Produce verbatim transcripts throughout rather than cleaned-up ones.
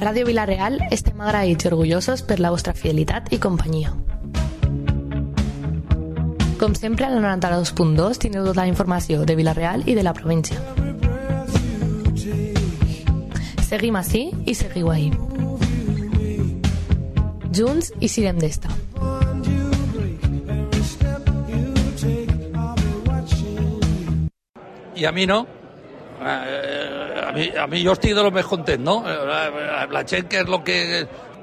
Ràdio Vila-real estem agraïts i orgullosos per la vostra fidelitat i companyia. Com sempre, a la noranta-dos punt dos tindreu tota la informació de Vila-real i de la província. Seguim ací i seguiu ahí. Junts i sirem d'esta. I a mi no. Eh, a, mi, a mi jo estic de lo més content, no? La, la gent que és lo que...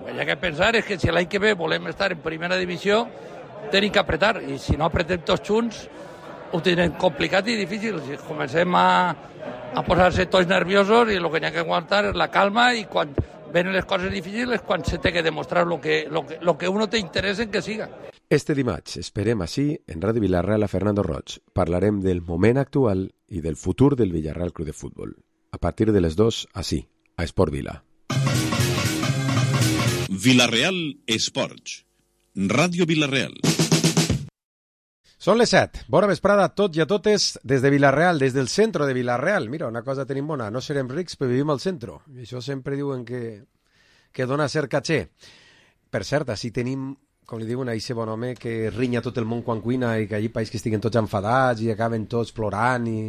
Hi ha que pensar és que si l'any que ve volem estar en primera divisió, tenim que apretar, i si no apretem tots junts, ho tindrem complicat i difícil. Si comencem a, a posar-se tots nerviosos, i el que hi ha que aguantar és la calma, i quan venen les coses difícils és quan se té que demostrar lo que, lo que, lo que uno té interès en que siga. Este dimarts esperem així en Ràdio Vila-real a Fernando Roig. Parlarem del moment actual i del futur del Villarreal Club de Futbol. A partir de les dos, així, a Esport Vila. Vila-real Esports. Ràdio Vila-real. Són les set. Bona vesprada a tots i a totes des de Vila-real, des del centre de Vila-real. Mira, una cosa tenim bona, no serem rics, però vivim al centre. I això sempre diuen que, que dona cert caché. Per cert, així tenim, com li diuen a aquest bon home, que rinya tot el món quan cuina i que allí país que estiguen tots enfadats i acaben tots plorant i...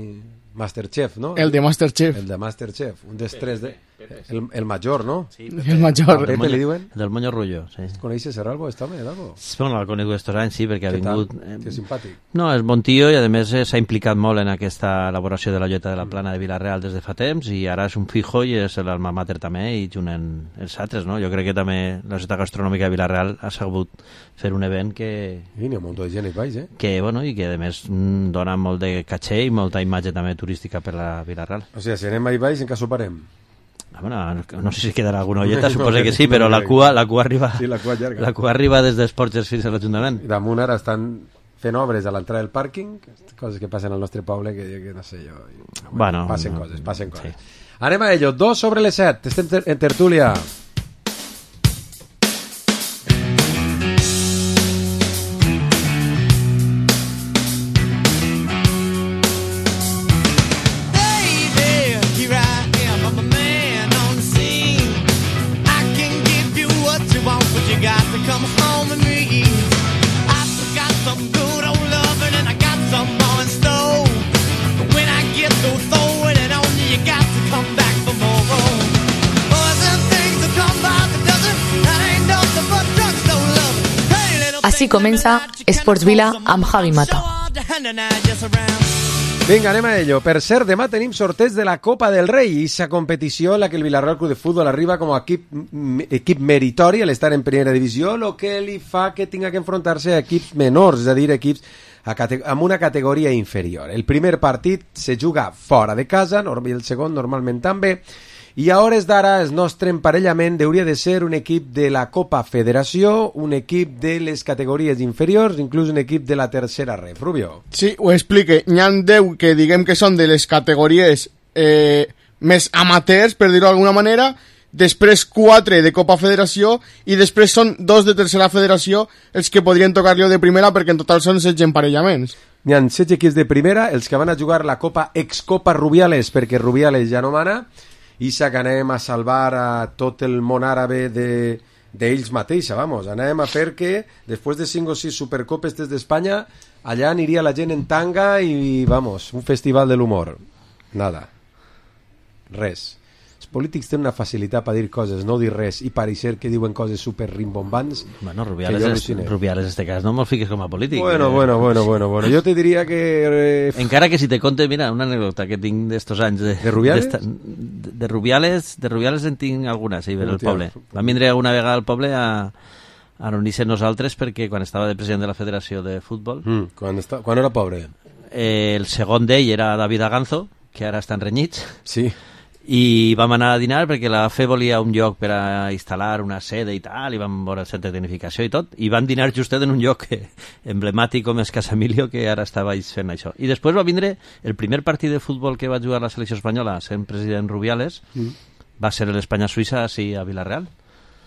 Masterchef, ¿no? El de Masterchef. El de Masterchef. Un dels tres de... El, el major, ¿no? Sí, Pepe. El major. A Pepe li diuen? Del Moño Rullo, sí. Coneixes Serralbo, està bé, d'algo? Bueno, l'ha conegut estos anys, sí, perquè ha vingut... Eh... Que simpàtic. No, és bon tio i, a més, s'ha implicat molt en aquesta elaboració de la lloeta de la plana de Vila-real des de fa temps, i ara és un fijo i és l'alma mater també, i junt els altres, no? Jo crec que també la societat gastronòmica de Vila-real ha sabut fer un event que... I n'hi ha un munt de gent i baix, eh? Que, bueno, i que, a més, dona molt de caché i molta imatge també turística per la Vila-real. O sigui, si anem a baix, en què soparem? Bueno, no sé si quedarà alguna olleta, suposo que sí, però la cua, la cua arriba, sí, la cua llarga. La cua arriba des dels Porges fins a l'Ajuntament. I damunt ara estan fent obres a l'entrada del pàrquing, coses que passen al nostre poble que, que no sé jo... Bueno, bueno, passen no, coses, passen coses. Sí. Anem a ello, dos sobre les set, estem ter en tertúlia. Així comença Esports Vila amb Javi Mata. Vinga, anem a ello. Per cert, demà tenim sorteig de la Copa del Rei, i aquesta competició en la que el Villarreal Club de Futbol arriba com a equip, equip meritori a l'estar en primera divisió, el que li fa que tinga que enfrontar-se a equips menors, és a dir, equips a amb una categoria inferior. El primer partit se juga fora de casa, i el segon normalment també, i a hores d'ara el nostre emparellament hauria de ser un equip de la Copa Federació, un equip de les categories inferiors, inclús un equip de la tercera ref. Rubio. Sí, ho explique. N'hi ha deu que diguem que són de les categories eh, més amateurs, per dir-ho d'alguna manera, després quatre de Copa Federació i després són dos de tercera federació els que podrien tocar-li de primera, perquè en total són setze emparellaments. N'hi ha setze equips de primera, els que van a jugar la Copa Excopa Rubiales, perquè Rubiales ja no mana, i que anem a salvar a tot el món àrabe de, d'ells mateixa, vamos. Anem a fer que, després de cinc o sis supercopes des d'Espanya, allà aniria la gent en tanga i, vamos, un festival de l'humor. Nada. Res. Els polítics tenen una facilitat per dir coses, no dir res, i parecer que diuen coses super rimbombants. Bueno, Rubiales, és, Rubiales en este cas no me'l fiques com a polític. Bueno, eh? bueno, bueno, bueno, bueno. Jo te diria que... Eh... Encara que si te conte, mira, una anècdota que tinc d'estos anys de, de Rubiales? De, de Rubiales, de Rubiales en tinc alguna, sí, per el poble. Vam vindre una vegada al poble a, a reunir-se nosaltres perquè quan estava de president de la Federació de Futbol... Mm, quan, està, quan era pobre? Eh, el segon d'ell era David Aganzo, que ara estan renyits. Sí. I vam anar a dinar perquè la F E volia un lloc per a instal·lar una sede i tal, i vam veure el centre de tecnificació i tot, i vam dinar justet en un lloc emblemàtic com és Casa Emilio, que ara estava fent això. I després va vindre el primer partit de futbol que va jugar la selecció espanyola, sent president Rubiales, mm. va ser l'Espanya-Suïssa, sí, a Vila-real.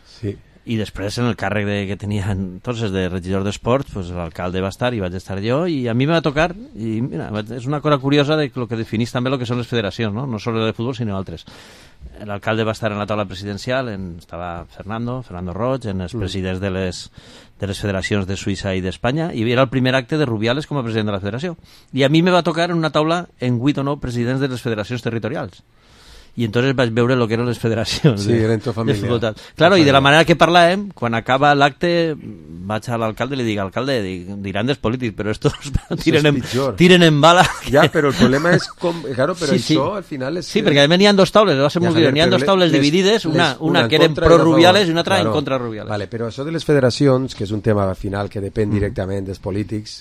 Sí. I després, en el càrrec de, que tenia entonces de regidor d'esports, pues, l'alcalde va estar i vaig estar jo, i a mi me va tocar, i mira, és una cosa curiosa de lo que definís també el que són les federacions, no, no solo de futbol, sinó altres. L'alcalde va estar en la taula presidencial, en, estava Fernando, Fernando Roig, en els presidents de les, de les federacions de Suïssa i d'Espanya, i era el primer acte de Rubiales com a president de la federació. I a mi me va tocar en una taula en vuit o nou presidents de les federacions territorials. I entonces vaig veure el que eren les federacions. Sí, era en tu família. Claro, i de la manera que parlàvem, quan acaba l'acte, vaig a l'alcalde i li dic, alcalde, dic, diran dels polítics, però estos tiren en, tiren en bala. Ja, però el problema és com... Claro, però sí, sí. això al final és... Sí, perquè a més n'hi ha dos taules, va ser molt ja, n'hi ha dos taules les, dividides, una, les, una, una que eren pro-Rubiales i una altra claro. en contra Rubiales. Vale, però això de les federacions, que és un tema al final que depèn mm. directament dels polítics,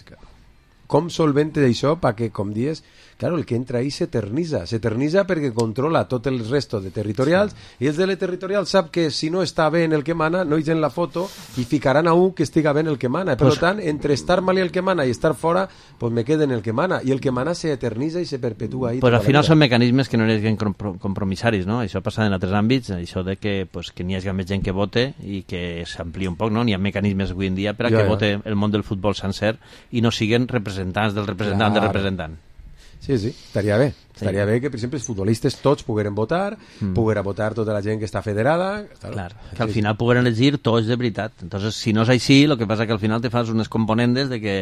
com solvente d'això perquè, com dies, claro, el que entra ahí s'eternitza, s'eternitza perquè controla tot el resto de territorials sí. i els de la territorial sap que si no està bé en el que mana, no hi en la foto i ficaran a un que estiga bé en el que mana. Per pues, tant, entre estar mal i el que mana i estar fora, pues me queden el que mana. I el que mana s'eternitza i se perpetua ahí. Pues al final són mecanismes que no hi ha compromissaris, no? Això passa en altres àmbits, això de que, pues, que n'hi hagi més gent que vote i que s'ampli un poc, no? N'hi ha mecanismes avui en dia per a ja, que ja. vote el món del futbol sencer i no siguen representants del representant claro. del representant. Sí, sí, estaria bé. Estaria sí. bé que, per exemple, els futbolistes tots pogueren votar, mm. poguera votar tota la gent que està federada... Clar, que al final pogueren elegir tots de veritat. Entonces, si no és així, el que passa que al final te fas unes componentes de que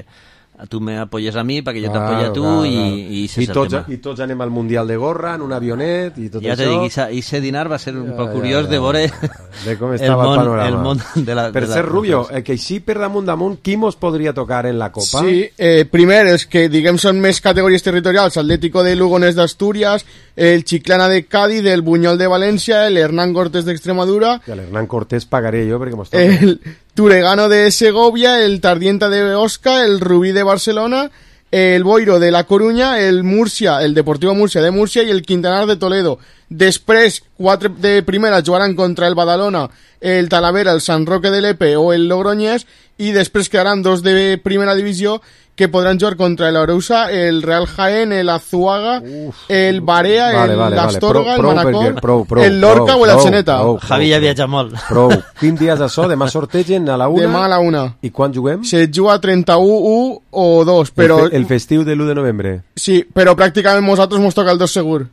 tu me apoyes a mi perquè jo claro, t'apoyo a tu claro, i, claro. i, I, tots, i tots anem al Mundial de Gorra en un avionet i tot ja això. Ja te dic, i ese dinar va ser un ja, poc curiós ja, ja, de veure de com estava el, món, el panorama. El món de la, per de ser la, Rubio, eh, que així per damunt damunt, qui mos podria tocar en la Copa? Sí, eh, primer, els que diguem són més categories territorials, Atlético de Lugones d'Astúries, el Chiclana de Cádiz, el Buñol de València, el Hernán Cortés d'Extremadura... Que l'Hernán Cortés pagaré jo perquè mos toca. El Turegano de Segovia, el Tardienta de Osca, el Rubí de Barcelona... el Boiro de La Coruña, el Murcia, el Deportivo Murcia de Murcia y el Quintanar de Toledo. Després, quatre de primera jugaran contra el Badalona, el Talavera, el Sant Roque de Lepe o el Logroñés, i després quedaran dos de primera divisió que podran jugar contra el Arousa, el Real Jaén, el Azuaga, Uf, el Barea, vale, el vale, Astorga, vale. Prou, el Manacor, prou, prou, el Lorca prou, o el Atzeneta. Javi ja viatja molt. Prou. Quin dies això? Demà sortegen a la una? Demà a la una. I quan juguem? Se juga trenta-u, u o dos, però... El, fe, el festiu de l'u de novembre. Sí, però pràcticament nosaltres mos toca el dos segur.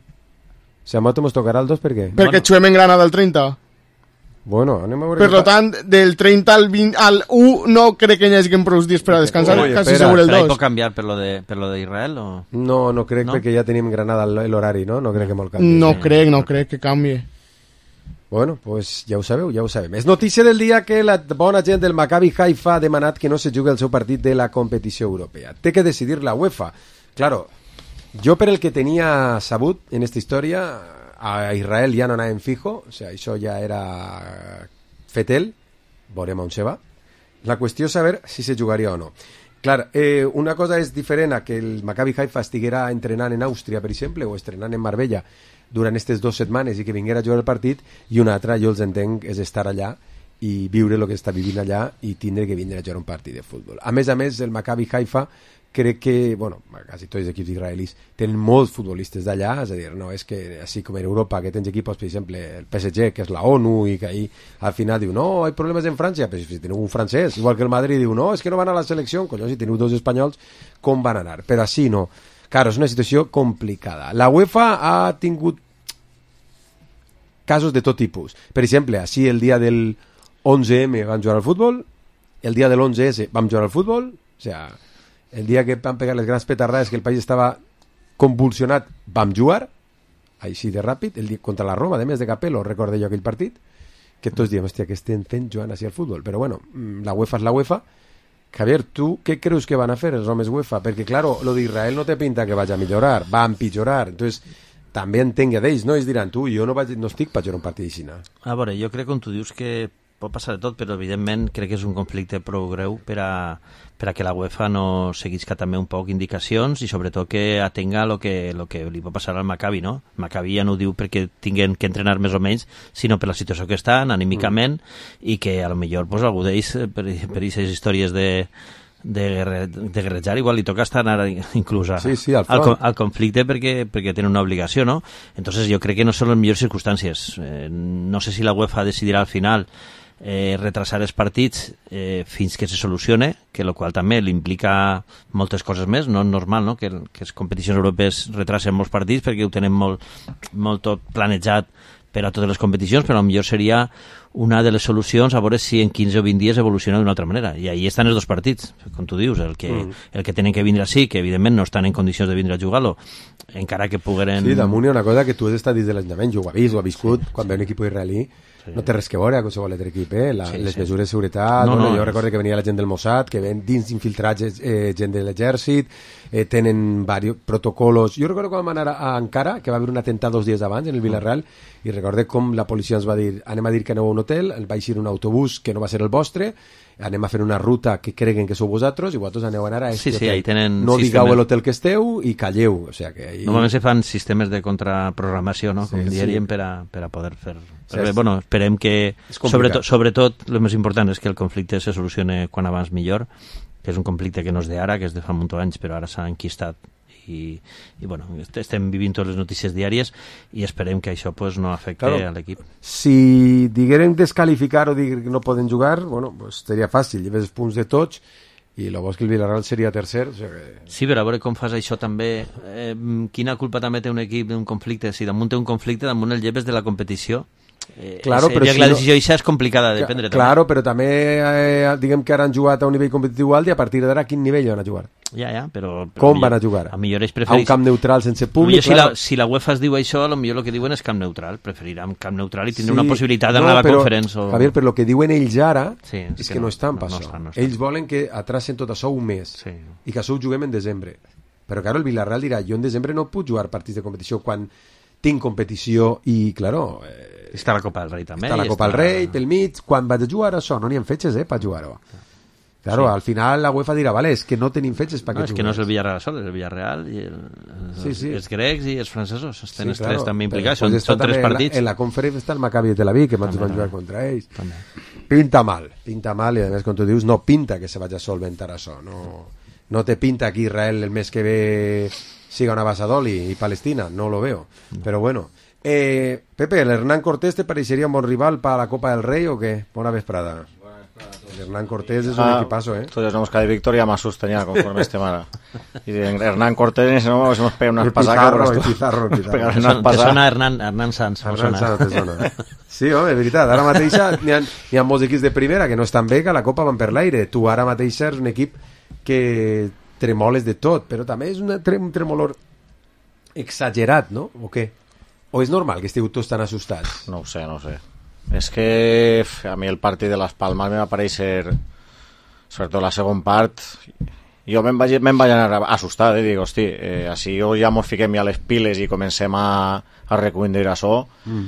Si a nosaltres mos tocarà el dos, per què? Perquè bueno. Juguem en Granada el trenta. Bueno, anem a veure... Per tant, del trenta al vint, al u no crec que hi hagi prou dies per a descansar, Oye, quasi segur el dos. Però hi pot canviar per lo de, per lo de Israel o...? No, no crec, no? Perquè ja tenim Granada l'horari, no? No crec que molt canvi. No crec, no crec que canvi. Bueno, pues ja ho sabeu, ja ho sabem. És notícia del dia que la bona gent del Maccabi Haifa ha demanat que no se jugui el seu partit de la competició europea. Té que decidir la UEFA. Claro, jo per el que tenia sabut en esta història... a Israel ja no anàvem fijo, o sea, això ja era fetel, veurem on se va. La qüestió és saber si se jugaria o no. Clar, eh, una cosa és diferent a que el Maccabi Haifa estiguera entrenant en Àustria, per exemple, o estrenant en Marbella durant aquestes dues setmanes i que vinguera a jugar el partit, i una altra, jo els entenc, és estar allà i viure el que està vivint allà i tindre que vindre a jugar un partit de futbol. A més a més, el Maccabi Haifa crec que, bueno, quasi tots els equips israelis tenen molts futbolistes d'allà, és a dir, no és que, així com en Europa, que tens equipos, per exemple, el P S G, que és la ONU, i que ahí al final diu, no, hay problemes en França, però si teniu un francès, igual que el Madrid diu, no, és que no van a la selecció, colló, si teniu dos espanyols, com van anar? Però així no. Claro, és una situació complicada. La UEFA ha tingut casos de tot tipus. Per exemple, així el dia del onze eme vam jugar al futbol, el dia de l'onze esse vam jugar al futbol, o sea, el dia que van pegar les grans petardades que el país estava convulsionat, vam jugar així de ràpid, el dia contra la Roma, de més de Capello, recordé jo aquell partit, que tots diem, hòstia, que estem fent jugant així al futbol, però bueno, la UEFA és la UEFA. Javier, tu què creus que van a fer els homes UEFA? Perquè, claro, lo d'Israel no te pinta que vaig a millorar, va a empitjorar, entonces també entenc d'ells, no? Ells diran, tu, jo no, vaig, no estic per jugar un partit d'així. A veure, jo crec, com tu dius, que pot passar de tot, però evidentment crec que és un conflicte prou greu per a, per a que la UEFA no seguisca també un poc indicacions i sobretot que atenga el que, lo que li pot passar al Maccabi, no? El Maccabi ja no ho diu perquè tinguin que entrenar més o menys, sinó per la situació que estan, anímicament, mm. i que a lo millor pues, algú d'ells, per aquestes històries de de, de guerrejar, igual li toca estar inclús a, sí, sí, al, al, al conflicte perquè, perquè tenen una obligació, no? Entonces jo crec que no són les millors circumstàncies. Eh, no sé si la UEFA decidirà al final eh, retrasar els partits eh, fins que se solucione, que el qual també li implica moltes coses més. No és normal, no?, que, que les competicions europees retrasen molts partits perquè ho tenen molt, molt tot planejat per a totes les competicions, però potser seria una de les solucions a veure si en quinze o vint dies evoluciona d'una altra manera. I ahí estan els dos partits, com tu dius, el que, mm. el que tenen que vindre així, que evidentment no estan en condicions de vindre a jugar-lo, encara que pogueren... Sí, damunt hi ha una cosa que tu has estat dins de l'enjament, jo ho he vist, ho he viscut, sí, quan ve un equip israelí, sí, no té res que veure a qualsevol altre equip, eh? La, sí, les sí. mesures de seguretat, no, no, jo és... recordo que venia la gent del Mossad, que ven dins infiltrats eh, gent de l'exèrcit, eh, tenen varios protocolos. Jo recordo quan vam anar a Ankara, que va haver un atemptat dos dies abans en el Villarreal, i recordo com la policia ens va dir, anem a dir que aneu a un hotel, va eixir un autobús que no va ser el vostre, anem a fer una ruta que creguen que sou vosaltres i vosaltres aneu a anar a sí, sí, ahí tenen no sistemes... digueu l'hotel que esteu i calleu, o sea que ahí... Normalment se fan sistemes de contraprogramació, no?, com sí, diríem, sí, per, a, per a poder fer... Sí, bé, bueno, esperem que sobretot, sobretot el més important és que el conflicte se solucione quan abans millor, que és un conflicte que no és d'ara, que és de fa molts anys, però ara s'ha enquistat i, i bueno, estem vivint totes les notícies diàries i esperem que això pues, no afecte claro, a l'equip. Si digueren descalificar o dir que no poden jugar, bueno, pues seria fàcil, lleves els punts de tots i el bo és que el Villarreal seria tercer. O sigui que... Sí, però a veure com fas això també. Eh, quina culpa també té un equip d'un conflicte? Si damunt té un conflicte, damunt el lleves de la competició. Eh, claro, és, però si la decisió no... és complicada de prendre. Claro, també. Però també eh, diguem que ara han jugat a un nivell competitiu alt i a partir d'ara a quin nivell van a jugar? Ja, ja, però... però com millor, van a jugar? A millor ells prefereix... A un camp neutral sense públic? Si, claro. la, si la UEFA es diu això, potser el que diuen és camp neutral. Preferiran camp neutral i tindre sí, una possibilitat d'anar no, a la conferència. O... Javier, però el que diuen ells ara sí, és, és que, que no, no estan per no, això. No, no estan. Ells volen que atracen tot això un mes sí. i que això ho juguem en desembre. Però, claro, el Villarreal dirà, jo en desembre no puc jugar partits de competició quan tinc competició i, claro... Eh, està la Copa del Rei també. Està la Copa del està... Rei, pel mig, quan vaig a jugar això, no n'hi ha fetges, eh, per jugar-ho. Claro, sí. Al final la UEFA dirà, vale, és que no tenim fetges per no, que és jugues. que no és el Villarreal sol, és el Villarreal i el, els, sí, sí. els grecs i els francesos, estan sí, els claro, tres també implicats, són, són tres partits. En la, la conferència està el Maccabi de Tel Aviv, que van jugar contra ells. També. Pinta mal, pinta mal, i a més, com tu dius, no pinta que se vagi a solventar això, no, no te pinta que Israel el mes que ve siga una Basadol i, i Palestina, no lo veo, no. Pero bueno. Eh, Pepe, ¿el Hernán Cortés te parecería un buen rival para la Copa del Rey o qué? Buena vesprada. El Hernán Cortés es un ah, equipazo, ¿eh? Entonces no busca de victoria más sustenida conforme este mara. Y de Hernán Cortés no nos pega unas pasacas. El Pizarro, el Pizarro. Te sona, te sona Hernán, Hernán Sanz. Hernán Sanz te sona. Sí, home, és veritat. Ara mateix n'hi ha, hi ha molts equips de primera que no estan bé, que la Copa van per l'aire. Tu ara mateix és un equip que tremoles de tot, però també és una, un tremolor exagerat, no? O què? ¿O es normal que estigueu tots tan assustats? No ho sé, no ho sé. És que a mi el partit de Las Palmas me va parèixer, sobretot la segon part, jo me'n vaig, me'n vaig anar assustat, eh? Dic, hosti, eh, així ja mos fiquem ja les piles i comencem a, a reconduir això, mm.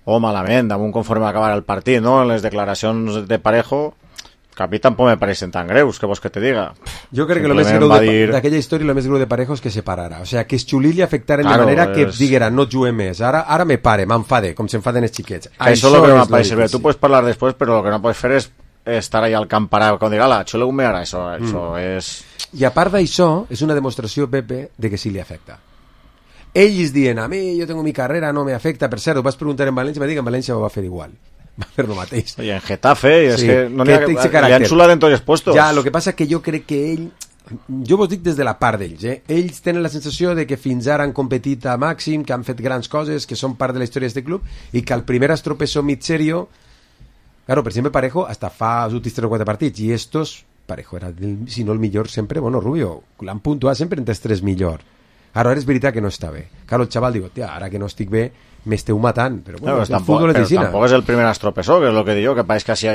o malament, damunt conforme acabar el partit, no? En les declaracions de Parejo, que a mi tampoc me pareixen tan greus, que vols que te diga. Jo crec que el més greu d'aquella dir... història, el més greu de Parejo és que se parara. O sea, que es xulili afectaren claro, de manera que es... diguera, no juguem més. Ara, ara me pare, m'enfade, com s'enfaden els xiquets. Això, això és el que m'apareix bé. Tu pots parlar després, però el que no pots fer és estar allà al camp parat, com dir, ala, xuleu-me ara. Això, mm. això és... I a part d'això, és una demostració, Pepe, de que sí li afecta. Ells diuen, a mi, jo tengo mi carrera, no me afecta. Per cert, ho vas preguntar en València, me dic, en València ho va fer igual. Va fer el mateix. I en Getafe, i és sí, que no n'hi ha, li han xulat en tots els puestos. Ja, el que passa que jo crec que ell, jo vos dic des de la part d'ells, eh? Ells tenen la sensació de que fins ara han competit a màxim, que han fet grans coses, que són part de la història d'aquest club, i que al primer estropezó mig serio, claro, per exemple Parejo hasta fa els últims tres o quatre partits, i estos, Parejo era, el, si no el millor sempre, bueno, Rubio, l'han puntuat sempre entre els tres millor. Ara és veritat que no està bé. Claro, el xaval diu, tia, ara que no estic bé, m'esteu matant. Però bueno, no, el tampoc, futbol és però tampoc és el primer estropezó, que és el que diu, que pareix que si...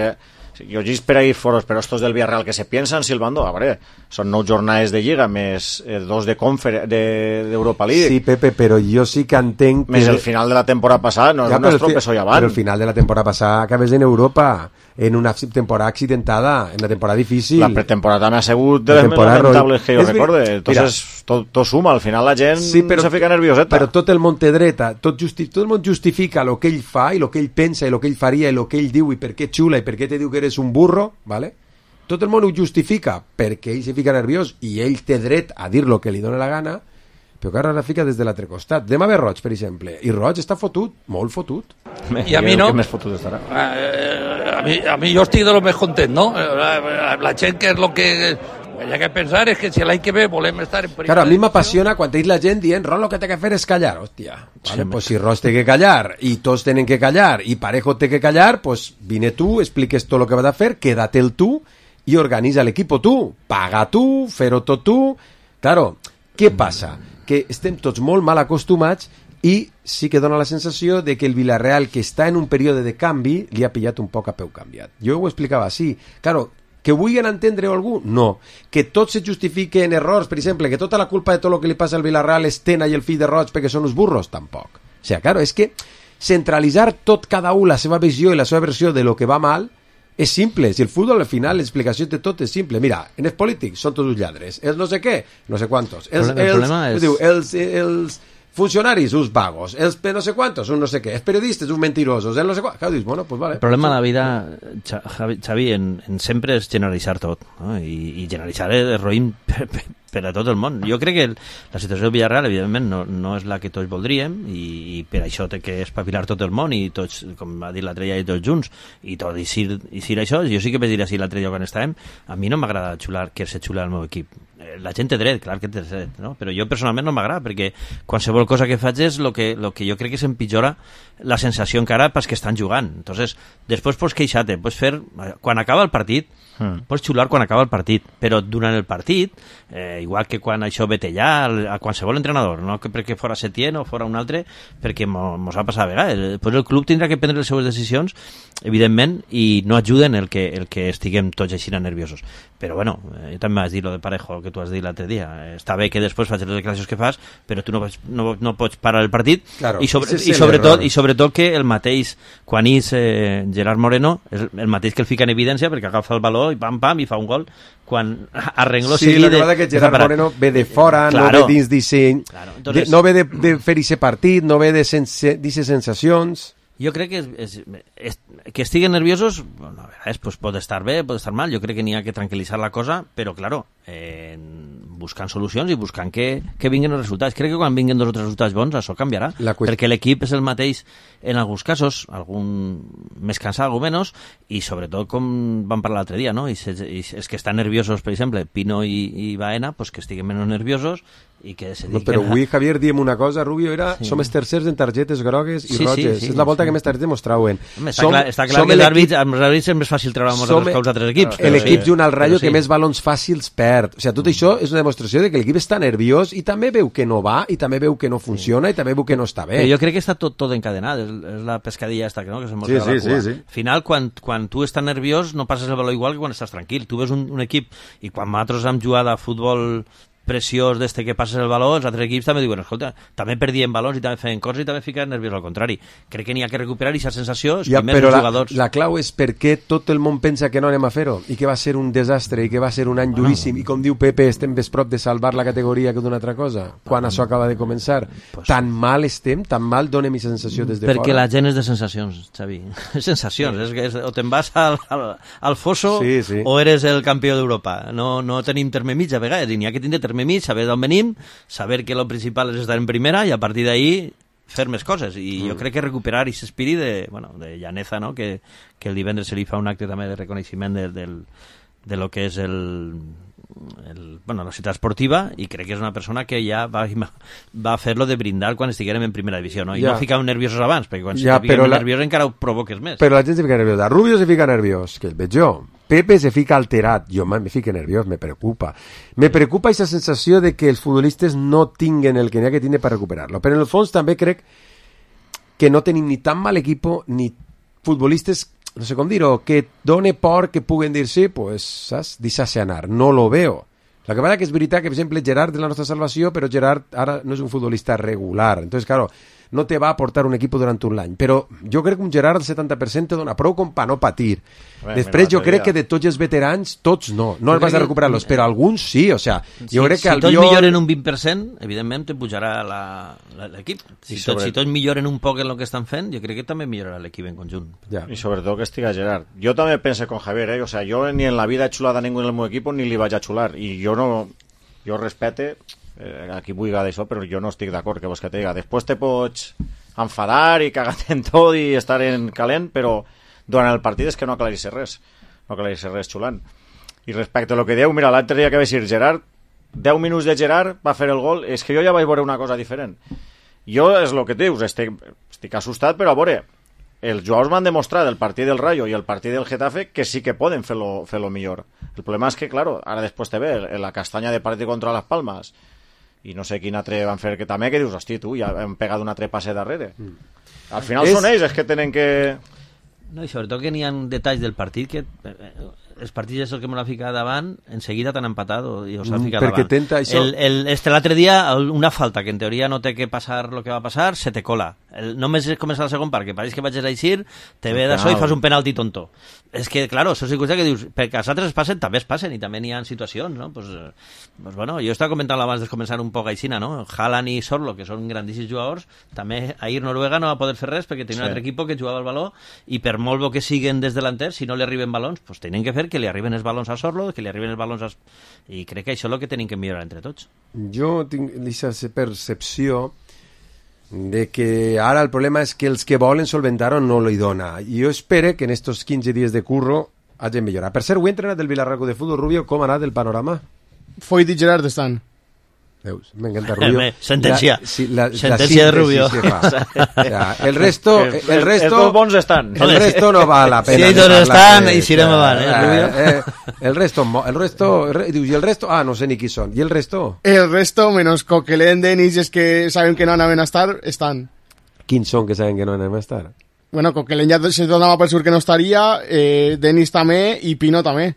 Jo gis per ahí foros, però estos del Villarreal que se piensan silbando, a veure, són nou jornades de Lliga, més eh, dos de confer d'Europa de, League. Sí, Pepe, però jo sí que entenc... Més que... el final de la temporada passada, no ja, és un estropezó ja van. Però el final de la temporada passada acabes en Europa, en una temporada accidentada, en una temporada difícil. La pretemporada m'ha sigut de les més lamentables que jo recorde. Entonces, tot, tot suma, al final la gent sí, però, se fica nervioseta. Però tot el món té dreta, tot, justi tot el món justifica el que ell fa i el que ell pensa i el que ell faria i el que ell diu i per què xula i per què te diu que eres un burro, ¿vale? Tot el món ho justifica perquè ell se fica nerviós i ell té dret a dir lo que li dona la gana, però que ara la fica des de l'altre costat. Demà ve Roig, per exemple, i Roig està fotut, molt fotut. I a mi no. Que més fotut estarà. Eh, a, mi, a mi yo estoy de lo més content, no? La, la gent que és lo que... Hay que pensar es que si l'any que ve volem estar en primera... Claro, a mi m'apassiona quan tenéis la gent dient Ron, lo que té que fer és callar, hòstia. Vale, pues si Roig té que callar i tots tenen que callar i Parejo té que callar, pues vine tu, expliques tot lo que vas a fer, quédate el tu i organitza l'equipo tu, paga tu, fer-ho tot tu. Claro, què passa? Que estem tots molt mal acostumats i sí que dona la sensació de que el Villarreal, que està en un període de canvi, li ha pillat un poc a peu canviat. Jo ho explicava així. Claro, que vulguin entendre-ho algú? No. Que tots se justifiquen errors, per exemple, que tota la culpa de tot el que li passa al Villarreal és Tena i el fill de Roig perquè són uns burros? Tampoc. O sea, claro, és que centralitzar tot cada un la seva visió i la seva versió de lo que va mal és simple. Si el futbol al final l'explicació de tot és simple. Mira, en els polítics són tots uns lladres, els no sé què, no sé quantos, els, el els, problema és... diu, els, els funcionaris, uns vagos, els no sé quantos, uns no sé què, els periodistes, uns mentirosos, els no sé quantos. Claro, dius, bueno, pues vale. El problema de la vida, Xavi, en, en sempre és generalitzar tot, no? I, i generalitzar és roïn per, per, per a tot el món. Jo crec que el, la situació del Villarreal, evidentment, no, no és la que tots voldríem, i, i per això té que espavilar tot el món, i tots, com va dir l'altre dia, i tots junts, i tot, i si, i si això, jo sí que vaig dir així l'altre dia quan estàvem, a mi no m'agrada xular, que se xula el meu equip. La gent té dret, clar que té dret, no? Però jo personalment no m'agrada, perquè qualsevol cosa que faig és el que, lo que jo crec que s'empitjora la sensació encara pels que estan jugant. Entonces, després pots queixar-te, pots fer... Quan acaba el partit, mm. pots xular quan acaba el partit, però durant el partit, eh, igual que quan això vete ja, a qualsevol entrenador, no que perquè fora Setién o fora un altre, perquè mos ha passat a vegades. Pues el club tindrà que prendre les seves decisions, evidentment, i no ajuden el que, el que estiguem tots així nerviosos. Però bueno, jo també vas dir lo de Parejo, el que tu has dit l'altre dia. Està bé que després facis les declaracions que fas, però tu no, pots, no, no pots parar el partit, claro, i, sobre, i, sobretot, i sobretot que el mateix, quan és eh, Gerard Moreno, és el mateix que el fica en evidència perquè agafa el baló i pam pam i fa un gol, quan arregló sí, seguida... Sí, la cosa que Gerard Moreno ve de fora, claro, no ve dins disseny, claro, entonces, de, no ve de, de fer aquest partit, no ve de d'aquestes sensacions... Jo crec que, és, és, és, que estiguen nerviosos, bueno, a vegades pues, pot estar bé, pot estar mal, jo crec que n'hi ha que tranquil·litzar la cosa, però, claro, eh, buscant solucions i buscant que, que vinguin els resultats. Crec que quan vinguin dos o tres resultats bons, això canviarà, qüest... perquè l'equip és el mateix en alguns casos, algun més cansat, algun menys, i sobretot, com vam parlar l'altre dia, no? I, i és que estan nerviosos, per exemple, Pino i, i Baena, pues que estiguen menys nerviosos, i que se no, però avui, Javier, diem una cosa, Rubio, era sí. som els tercers en targetes grogues i sí, roges. Sí, sí, és la volta sí. que més targetes mostrauen. Home, està, som, clar, està clar que els àrbits, amb els àrbits és més fàcil treure els altres equips. L'equip sí. junt al Rayo sí. que més balons fàcils perd. O sigui, tot això és una demostració de que l'equip està nerviós i també veu que no va, i també veu que no funciona, sí. i també veu que no està bé. Però jo crec que està tot, tot encadenat. És, és la pescadilla esta, no? Que se mostra sí, la sí, cua. Sí, sí. Al final, quan, quan tu estàs nerviós, no passes el baló igual que quan estàs tranquil. Tu ves un, un equip, i quan nosaltres hem jugat a futbol preciós d'este que passes el baló, els altres equips també diuen, escolta, també perdien balons i també feien coses i també fiquen nerviós, al contrari. Crec que n'hi ha que recuperar aquesta sensació, els ja, primers però jugadors. La, la clau és per què tot el món pensa que no anem a fer-ho i que va ser un desastre i que va ser un any bueno, duríssim i com diu Pepe, estem més prop de salvar la categoria que d'una altra cosa, quan això acaba de començar. Pues, tan mal estem, tan mal donem aquesta sensació des de perquè fora. Perquè la gent és de sensacions, Xavi. Sensacions, sí. és que és, o te'n vas al, al, al fosso sí, sí. o eres el campió d'Europa. No, no tenim terme mig a vegades, i n'hi ha que tindre terme mig, saber d'on venim, saber que lo principal és estar en primera i a partir d'ahí fer més coses, i mm. jo crec que recuperar aquest espírit de, bueno, de llaneza, no? que, que el divendres se li fa un acte també de reconeixement de, de, de lo que és el, el, bueno, la ciutat esportiva, i crec que és una persona que ja va, va fer-lo de brindar quan estiguérem en primera divisió, no? I ja. no ficàvem nerviosos abans, perquè quan ja, fiquem la... nerviosos encara ho provoques més. Però la gent se fica nerviosa. Rubio se fica nerviós, que el veig jo. Pepe se fica alterat, jo me fico nerviós, me preocupa. Me preocupa aquesta sensació de que els futbolistes no tinguen el que n'hi ha que tindre per recuperar-lo. Però en el fons també crec que no tenim ni tan mal equipo ni futbolistes, no sé com dir-ho, que done por que puguen dir-se, pues, saps, deixar-se anar. No lo veo. La que passa que és veritat que, per exemple, Gerard és la nostra salvació, però Gerard ara no és un futbolista regular. Entonces, claro, no te va a aportar un equip durant un any, però jo crec que un Gerard al setanta per cent te dona prou com per no patir. Bé, després jo crec que de tots els veterans, tots no, no els vas a recuperar-los, però alguns sí, o sea, jo si, crec que si Albiol... tots milloren un vint per cent, evidentment te pujarà l'equip. Si, tot, sobre... si tots milloren un poc en el que estan fent, jo crec que també millorarà l'equip en conjunt. Ja. I sobretot que estiga Gerard. Jo també pense con Javier, eh? O sea, yo ni en la vida he chulado a ningún en el meu equip ni li vaig a chular, i jo no... Jo respete eh, aquí vull d'això, però jo no estic d'acord, que vols que te diga. Després te pots enfadar i cagar en tot i estar en calent, però durant el partit és que no aclarís res, no aclarís res xulant. I respecte a lo que dieu, mira, l'altre dia que va ser Gerard, deu minuts de Gerard va fer el gol, és que jo ja vaig veure una cosa diferent. Jo, és el que dius, estic, estic assustat, però a veure, els jugadors m'han demostrat el partit del Rayo i el partit del Getafe que sí que poden fer-lo fer lo millor. El problema és que, claro, ara després te ve la castanya de partit contra les Palmes i no sé quin altre van fer que també, que dius, hosti, tu, ja hem pegat un altre passe darrere. Mm. Al final és... són ells, és que tenen que... No, i sobretot que n'hi ha detalls del partit que els partits és el que m'ho ha ficat davant, en seguida t'han empatat i us ha ficat Perquè davant. Tenta això... el, el, este l'altre dia, una falta que en teoria no té que passar el que va passar, se te cola. El, només comença el segon part, que pareix que vaig a eixir, te ve d'això i fas un penalti tonto. És que, claro, això és cosa que dius, perquè els altres es passen, també es passen, i també n'hi ha situacions, no? Pues, pues bueno, jo estava comentant abans de començar un poc aixina, no? Haaland i Sorlo, que són grandíssims jugadors, també ahir Noruega no va poder fer res perquè tenia sí. un altre equip que jugava el baló, i per molt bo que siguen des delanters, si no li arriben balons, pues tenen que fer que li arriben els balons a Sorlo, que li arriben els balons a... I crec que això és el que tenim que millorar entre tots. Jo tinc aquesta percepció de que ara el problema és que els que volen solventar-ho no li dona. I jo espero que en estos quinze dies de curro hagin millorat. Per cert, ho he entrenat del Vilarraco de Futbol, Rubio, com ha anat el panorama? Foyt i Gerard estan. Veus, m'encanta Rubio. Sentencia. La, sí, la, Sentencia la de Rubio. Ja, el resto, el resto, estos bons estan. El resto no va la pena. Si ells estan, i si no me van, eh, Rubio. Eh, el resto, el resto, dius, i el resto, ah, no sé ni qui són. I el resto? El resto, menos Coquelin, Denis, es que saben que no anaven a estar, estan. Quins són que saben que no anaven a estar? Bueno, Coquelin ja se donava per sur que no estaria, eh, Denis també i Pino també.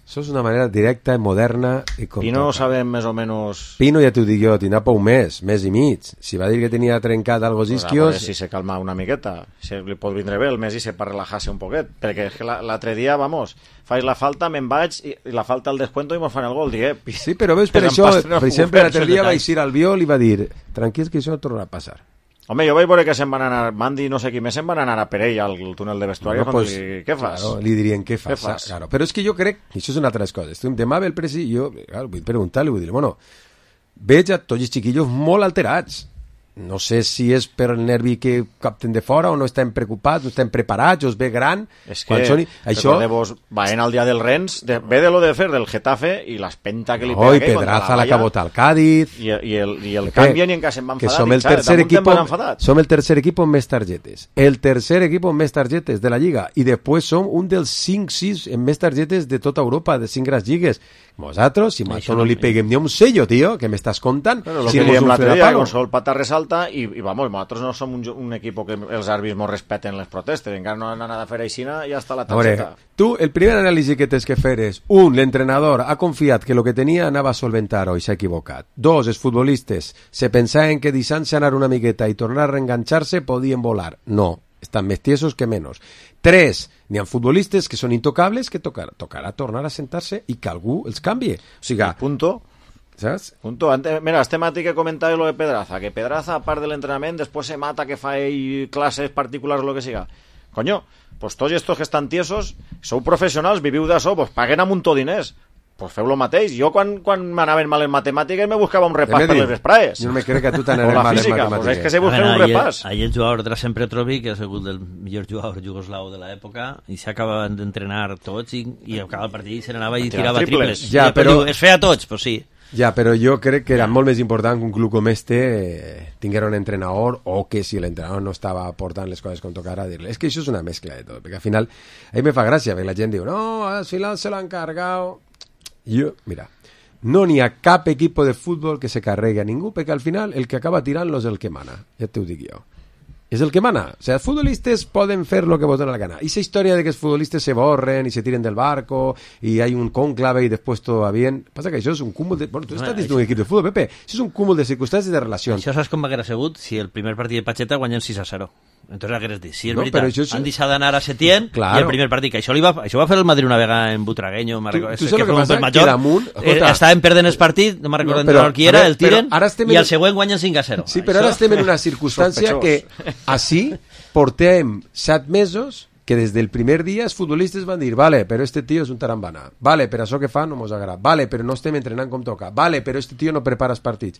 Això és una manera directa, moderna i com Pino toca. sabem més o menys... Pino ja t'ho dic jo, tindrà por un mes, mes i mig. Si va dir que tenia trencat algo Pues isquios... si se calma una miqueta, si li pot vindre bé el mes i se per relajar-se un poquet, perquè és que l'altre dia, vamos, faig la falta, me'n vaig, i, i la falta al descuento i mos fan el gol, digue... Sí, però veus, per això, per exemple, l'altre dia vaig ir al Viol i va dir, tranquils que això no tornarà a passar. Home, jo vaig veure que se'n van anar, Mandi no sé qui més, se'n van anar a per ell al túnel de vestuari, No, pues, li, què fas? Claro, li dirien què fas. Què fas? Claro. Però és que jo crec, i això és una altra cosa, estem, demà ve el presi, jo claro, vull preguntar-li, vull dir, bueno, veig a tots els xiquillos molt alterats. No sé si és per el nervi que capten de fora o no estan preocupats, no estan preparats, o es ve gran. És que, són... això... recordeu-vos, vaent al dia del Rennes, de, ve de lo de fer del Getafe i l'espenta que li Oi, pega Pedraza la cabota al Cádiz. I, i el, i el canvien i encara se'n van que enfadat. som el, tercer equipo, som el tercer equipo amb més targetes. El tercer equipo amb més targetes de la Lliga. I després som un dels cinc sis amb més targetes de tota Europa, de cinc grans lligues. Vosaltres, si això no li peguem ni un sello, tio, que m'estàs contant? Bueno, lo si que diem l'altre dia, que el Pata resalta, i, i vamos, nosaltres no som un, un equip que els àrbits no respeten les protestes, encara no han anat a fer aixina i ja està la targeta. Veure, tu, el primer anàlisi que tens que fer és, un, l'entrenador ha confiat que el que tenia anava a solventar-ho i s'ha equivocat. Dos, els futbolistes se pensaven que deixant-se anar una miqueta i tornar a reenganxar-se podien volar. No, estan més tiesos que menys. Tres, n'hi ha futbolistes que són intocables que tocarà, tocarà tornar a sentar-se i que algú els canvie. O sigui, I punto. Saps? Punto. Antes, mira, este mati que comentava lo de Pedraza, que Pedraza, a part de l'entrenament, després se mata que fa ell classes particulars o lo que siga. Coño, pues tots estos que estan tiesos, sou professionals, viviu d'això, pues paguen a muntó diners. Pues feu lo mateix. Jo quan, quan m'anaven mal en matemàtiques me buscava un repàs per les vesprades. Jo no me crec que tu t'anaven mal en matemàtiques. Pues és que se busquen un repàs. Ahir el jugador Drasen Petrovic, que ha sigut el millor jugador jugoslau de l'època, i s'acabaven d'entrenar tots i, i acaba el partit i se n'anava i tirava triples. Ja, I però... diu, es feia tots, pues sí. Ja, però jo crec que era molt més important que un club com este eh, tinguera un entrenador o que si l'entrenador no estava portant les coses com tocara, dir-li. És que això és una mescla de tot, perquè al final, a mi me fa gràcia, perquè la gent diu, no, al final se l'han cargado. Jo, mira, no n'hi ha cap equip de futbol que se carregui a ningú, perquè al final el que acaba tirant-lo és el que mana, ja t'ho dic jo. És el que mana. O sea, els futbolistes poden fer lo que voten a la gana. Esa història de que els futbolistes se borren i se tiren del barco i hay un conclave i després tot va bien, passa que això és un cúmul de... Bueno, tu estàs dins d'un equip de futbol, Pepe. Això és un cúmul de circumstàncies i de relacions. Això saps com haguera sigut si el primer partit de Pacheta guanyen sis a zero. Entonces hagueres dit, sí, és no, veritat, això és... han deixat d'anar a Setién claro. I el primer partit, que això, li va, això va fer el Madrid una vegada en Butragueño, tu, tu saps el que passa? Que damunt... Eh, estaven perdent el partit, no me'n recordo no, qui era, el tiren, i al següent guanyen cinc a zero. Sí, però ara estem en una circumstància que així portem set mesos que des del primer dia els futbolistes van dir, vale, però este tio és un tarambana, vale, però això que fa no mos agrada, vale, però no estem entrenant com toca, vale, però este tio no prepara els partits.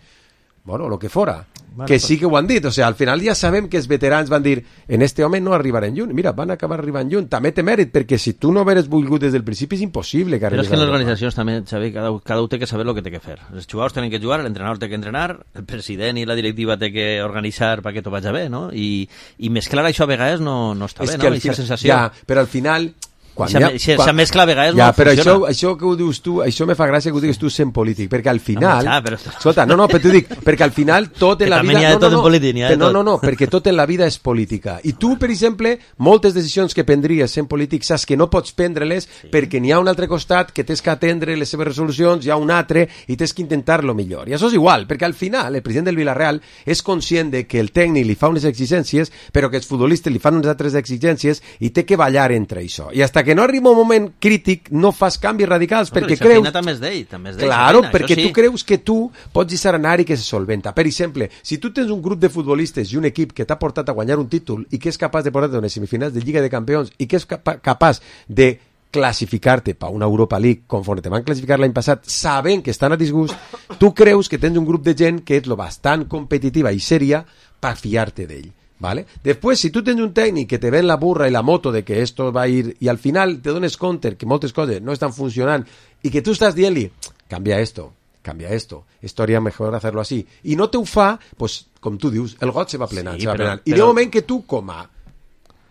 Bueno, lo que fora, bueno, que sí que ho han dit, o sea, al final ja sabem que els veterans van dir, en este home no arribarem lluny, mira, van acabar arribant lluny, també té mèrit, perquè si tu no hagueres volgut des del principi és impossible que arribis. Però és que en les organitzacions també, Xavi, cada, cada un té que saber el que té que fer. Els jugadors tenen que jugar, l'entrenador té que entrenar, el president i la directiva té que organitzar perquè tot vagi bé, no? I, i mesclar això a vegades no, no està és bé, no? Aquesta final, sensació... Ja, però al final... Quan ja, ja, quan... mescla a vegades ja, no però funciona. Això, això que ho dius tu, això me fa gràcia que ho digues tu sent polític, perquè al final... No, ja, però... Escolta, no, no, però t'ho dic, perquè al final tot en la vida... No, no, no, polític, no, no, no, perquè tot en la vida és política. I tu, per exemple, moltes decisions que prendries sent polític, saps que no pots prendre-les sí. perquè n'hi ha un altre costat que tens que atendre les seves resolucions, hi ha un altre, i tens que intentar-lo millor. I això és igual, perquè al final el president del Villarreal és conscient de que el tècnic li fa unes exigències, però que els futbolistes li fan unes altres exigències i té que ballar entre això. I hasta que no arriba un moment crític no fas canvis radicals no, perquè creus... també és d'ell, també és d'ell. Claro, feina, perquè sí. tu creus que tu pots deixar anar i que se solventa. Per exemple, si tu tens un grup de futbolistes i un equip que t'ha portat a guanyar un títol i que és capaç de portar-te a unes semifinals de Lliga de Campions i que és capa capaç de classificar-te per una Europa League conforme te van classificar l'any passat sabent que estan a disgust, tu creus que tens un grup de gent que és lo bastant competitiva i sèria per fiar-te d'ell. ¿Vale? Después, si tú tienes un técnico que te ven la burra y la moto de que esto va a ir y al final te dones compte que moltes coses no están funcionando y que tú estás dient-li, cambia esto, cambia esto, esto haría mejor hacerlo así, y no te ho fa, pues, com tu dius, el got se va plenant, sí, se va però, plenant. I però... de moment que tu, com a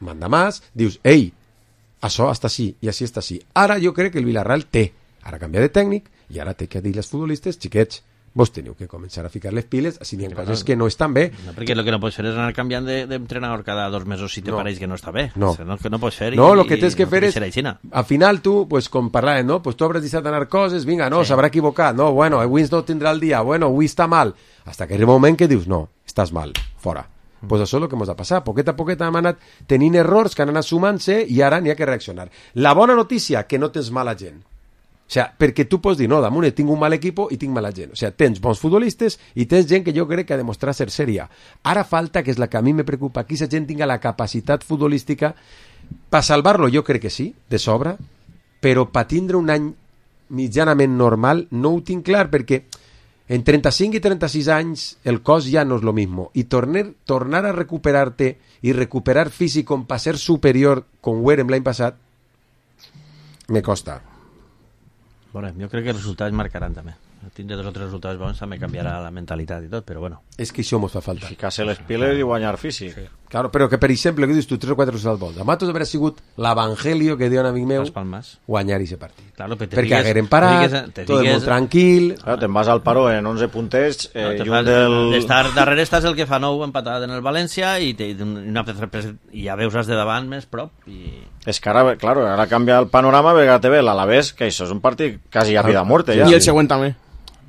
manda más, dius, ei, això està així i així està així. Ara jo crec que el Villarreal té, ara canvia de tècnic i ara té que dir als futbolistes, xiquets, vos teniu que començar a ficar les piles, si n'hi ha coses que no estan bé. No, perquè el que no pots fer és anar canviant d'entrenador de, cada dos mesos si te no. pareix que no està bé. No, no, que no pots fer. No, el que tens que no fer és, al final tu, pues, com parlàvem, no? Pues tu hauràs deixat d'anar coses, vinga, no, s'haurà sí. equivocat, no, bueno, avui no tindrà el dia, bueno, avui està mal, hasta que arriba un moment que dius, no, estàs mal, fora. Mm. Pues això és el que ens ha passat. Poquet a poquet hem anat tenint errors que han anat sumant-se i ara n'hi ha que reaccionar. La bona notícia, que no tens mala gent. O sea, perquè tu pots dir, no, damunt tinc un mal equip i tinc mala gent. O sea, tens bons futbolistes i tens gent que jo crec que ha demostrat ser sèria. Ara falta, que és la que a mi me preocupa, que aquesta gent tinga la capacitat futbolística per salvar-lo, jo crec que sí, de sobre, però per tindre un any mitjanament normal no ho tinc clar, perquè en trenta-cinc i trenta-sis anys el cos ja no és lo mismo. I tornar, tornar a recuperar-te i recuperar físic com per ser superior com ho érem l'any passat, me costa. Bueno, jo crec que els resultats marcaran també. Tindre dos o tres resultats bons també canviarà la mentalitat i tot, però bueno. És que això mos fa falta. Ficar-se les piles i guanyar físic. Sí. Claro, però que, per exemple, que dius tu, tres o quatre resultats bons. A Matos haurà sigut l'evangelio que diu un amic meu guanyar aquest partit. Claro, perquè perquè hagueren parat, tot molt tranquil. Claro, te'n vas al paró en onze puntets. Eh, no, i del... Estar darrere estàs el que fa nou empatat en el València i, te, una, i ja veus els de davant més prop. I... És que ara, claro, ara canvia el panorama perquè te ve l'Alavés, que això és un partit quasi a vida o muerte. Ja. I el següent també.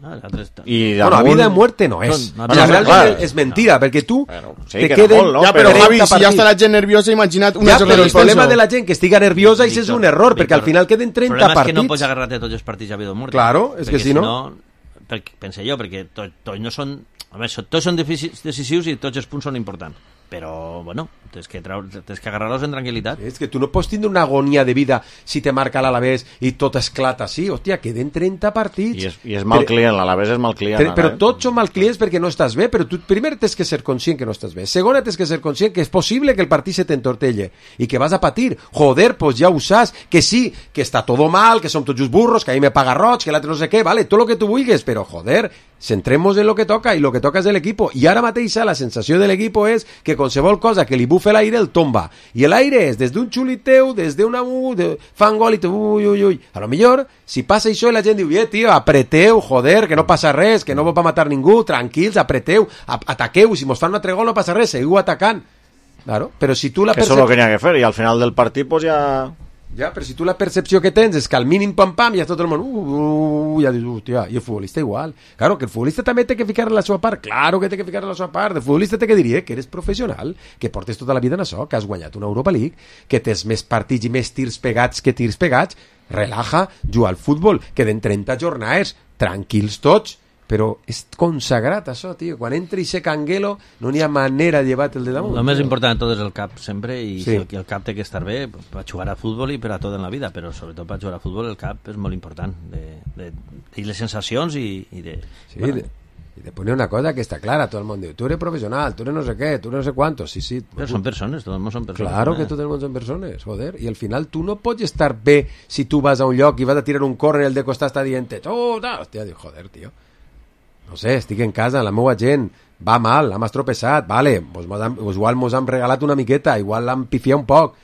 Ah, y bueno, a vida de muerte no es. No, no, o sea, realmente claro. es mentira, no. porque tú bueno, sí, te quedes... Molt, no? Ya, pero Javi, si ya está la gent nerviosa, imagina't una ja, però el problema de la gent que estiga nerviosa és un error, perquè al final queden trenta partits. El problema és que no pots agarrar-te tots els partits a vida o muerte. Claro, és que si no... no perquè, pense jo, perquè tots to, no són... A més, tots són decisius i tots els punts són importants. Però, bueno, tens que, tens que agarrar-los en tranquil·litat. És que tu no pots tindre una agonia de vida si te marca l'Alavés i tot esclata així. Hòstia, queden trenta partits. I és, i és mal però, client, l'Alavés és mal client. Però, però tots són mal clients perquè no estàs bé, però tu primer tens que ser conscient que no estàs bé. Segona, tens que ser conscient que és possible que el partit se t'entortelle i que vas a patir. Joder, pues ja ho saps, que sí, que està todo mal, que som tots just burros, que ahí me paga Roig, que l'altre no sé què, vale, tot lo que tu vulguis, però joder, centremos en lo que toca i lo que toca és de l'equipo. I ara mateix la sensació de l'equipo és que qualsevol cosa que li bufe l'aire el tomba. I l'aire és des d'un xuliteu, des d'una... De, fan gol i te... Ui, ui, ui. A lo millor, si passa això i la gent diu, eh, tio, apreteu, joder, que no passa res, que no va matar ningú, tranquils, apreteu, ataqueu, si mos fan un altre gol no passa res, seguiu atacant. Claro, però si tu la percep... Eso es lo que n'hi ha que fer, i al final del partit, pues ja... Ja, però si tu la percepció que tens és que al mínim pam-pam ja tot el món, uh, uh, ja dius, hòstia, i el futbolista igual. Claro, que el futbolista també té que ficar la seva part, claro que té que ficar la seva part. El futbolista té que dir que eres professional, que portes tota la vida en això, que has guanyat una Europa League, que tens més partits i més tirs pegats que tirs pegats, relaja, juga al futbol, queden trenta jornades, tranquils tots, però és consagrat això, tio. Quan entri ese canguelo no n'hi ha manera de llevar-te'l de damunt. El més important de tot és el cap sempre, i Sí. el, el cap té que estar bé per jugar a futbol i per a tot en la vida, però sobretot per jugar a futbol el cap és molt important, de, de, de les sensacions i, i de... Sí, de, y de poner una cosa que está clara, todo el mundo dice, tú eres profesional, tú eres no sé qué, tú eres no sé cuántos, sí, sí. Però són persones, tot el món són persones. Claro eh? que tot el món són persones, joder, i al final tu no pots estar bé si tu vas a un lloc i vas a tirar un córner i el de costat està dient, oh, no, hòstia, diu, joder, tio, no sé, estic en casa, la meva gent va mal, hem estropeçat, vale, pues, mos han, pues igual mos han regalat una miqueta, igual l'han pifiat un poc.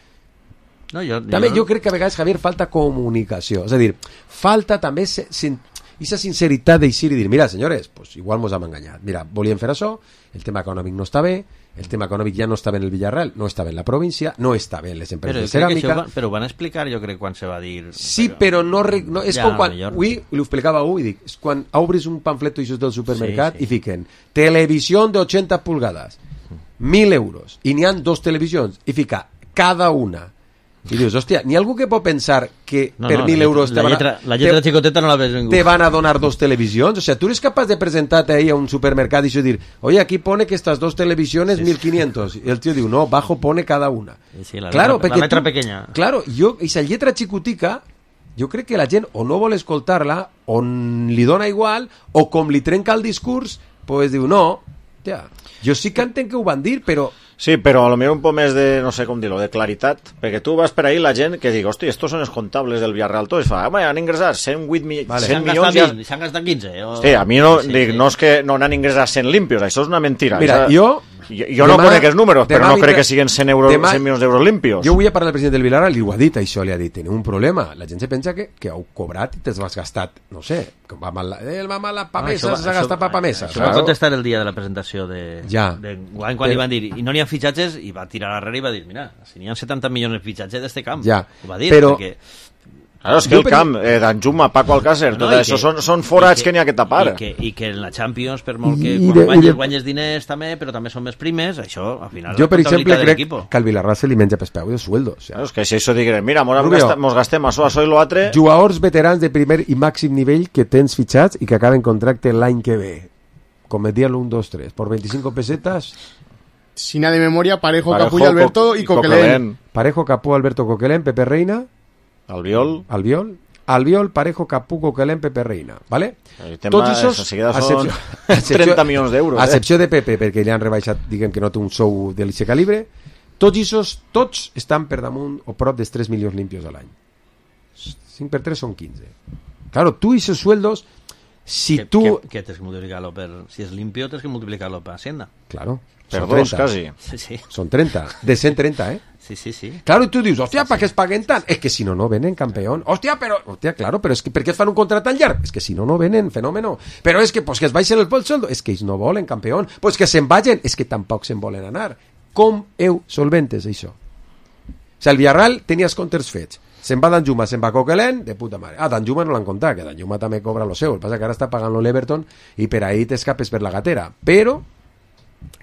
No, jo, També jo crec que a vegades, Javier, falta comunicació, és a dir, falta també se, sin, esa sinceritat d'eixir i dir, mira, senyores, pues igual mos hem enganyat, mira, volíem fer això, el tema econòmic no està bé, el tema econòmic ja no estava en el Villarreal, no estava en la província, no estava en les empreses però de crec que ceràmica. això, però ho van explicar, jo crec, quan se va dir... Sí, però no, re- no és Ja, com quan millor. avui, li ho explicava avui, dic, és quan obris un pamfleto d'aixòs del supermercat Sí, sí. i fiquen televisió de ochenta pulgadas, mil euros, i n'hi han dos televisions, i fica cada una. I dius, hòstia, n'hi ha algú que pot pensar que No, per no, mil la euros lletra, te van, la lletra, a, la lletra te, xicoteta no la ves ningú. te van a donar dos televisions? O sea, tú eres capaz de presentarte ahí a un supermercado y decir, oye, aquí pone que estas dos televisiones Sí, mil quinientos. Y el tío dice, no, bajo pone cada una. Sí, sí, la claro, letra, perquè la letra tu- pequeña. Claro, jo, esa lletra xicotica, jo crec que la gent o no vol escoltar-la, o li dona igual, o com li trenca el discurs, pues diu, no, ja, jo sí que entenc que ho van dir, però... Sí, però a lo millor un poc més de, no sé com dir-ho, de claritat, perquè tu vas per ahí la gent que diu, hosti, estos són els comptables del Villarreal, tots fa, home, han ingressat cent vuit mi Vale. cent S'han milions... gastat Ja... vint, s'han gastat quinze. O... Hosti, a mi no, Sí, sí, dic, sí. no és que no n'han ingressat cent limpios, això és una mentira. Mira, Això- jo... Jo, jo no demà- conec els números, però demà no vindrà- crec que siguin cent, euros, demà- cent milions d'euros limpios. Jo vull a parlar del president del Villarreal i ho ha dit, això li ha dit, tenim un problema. La gent se pensa que, que heu cobrat i te'ls has gastat, no sé, que va mal, eh, va mal la Ah, pamesa, això va- s'ha gastat això- pa pamesa. Això va contestar el dia de la presentació de, Ja. de quan, quan Però- li van dir, i no n'hi ha fitxatges, i va tirar darrere i va dir, mira, si n'hi ha setanta milions de fitxatges d'este camp. Ja. Ho va dir, Però- perquè... Claro, és que Jo el per- camp, eh, d'Anjuma, Paco Alcácer, No, tot i això que- són, són forats i que n'hi ha que tapar. I que, I que en la Champions, per molt que I quan de- i guanyes, de- guanyes diners també, però també són més primes, això, al final, Jo, per és la exemple, comptabilitat de crec l'equipo. que al Villarreal se li menja pels peus els sueldos. O sea, Claro, és que si això diguem, mira, mos, Rubio. gasta, mos gastem això, això i l'altre... jugadors veterans de primer i màxim nivell que tens fitxats i que acaben contracte l'any que ve. Com et dia l'un, dos, tres. Por veinticinco pesetas, Sin nada de memoria, Parejo, Parejo, Capullo, Alberto Co- y Coquelén. Parejo, Capú, Alberto Coquelén, Pepe Reina, Albiol... Albiol, Albiol, Parejo, Capú, Coquelén, Pepe Reina, ¿vale? El tema és, enseguida són trenta milions d'euros. A Eh? excepció de Pepe, perquè li han rebaixat, diguem que no té un sou de l'eixe calibre, tots aquests, tots estan per damunt o prop dels tres milions limpios a l'any. cinc per tres són quinze. Claro, tú y esos sueldos, si que, tú... Que, que tens que multiplicar-lo per... Si és limpio, tens que multiplicar-lo per Hacienda. Claro, Per son dos, trenta. quasi. Sí, sí. Son treinta, de cent treinta, ¿eh? Sí, sí, sí. Claro, y tú dices, hostia, ¿para qué es paguen tant? Es que si no, no venen, campeón. Hostia, pero... Hostia, claro, pero es que ¿per qué fan un contrato tan llarg? Es que si no, no venen, fenómeno. Pero es que, pues que es baixen el el sueldo. Es que ells no volen, campeón. Pues que se'n vagin. Es que tampoc se'n volen anar. Com heu solventes, això? O sea, el Villarreal tenia els comptes fets. Se'n va Danjuma, se'n va Coquelén, de puta mare. Ah, Danjuma no l'han comptat, que Danjuma també cobra lo seu. El que passa que ara està pagant l'Everton i per ahí t'escapes per la gatera. Però,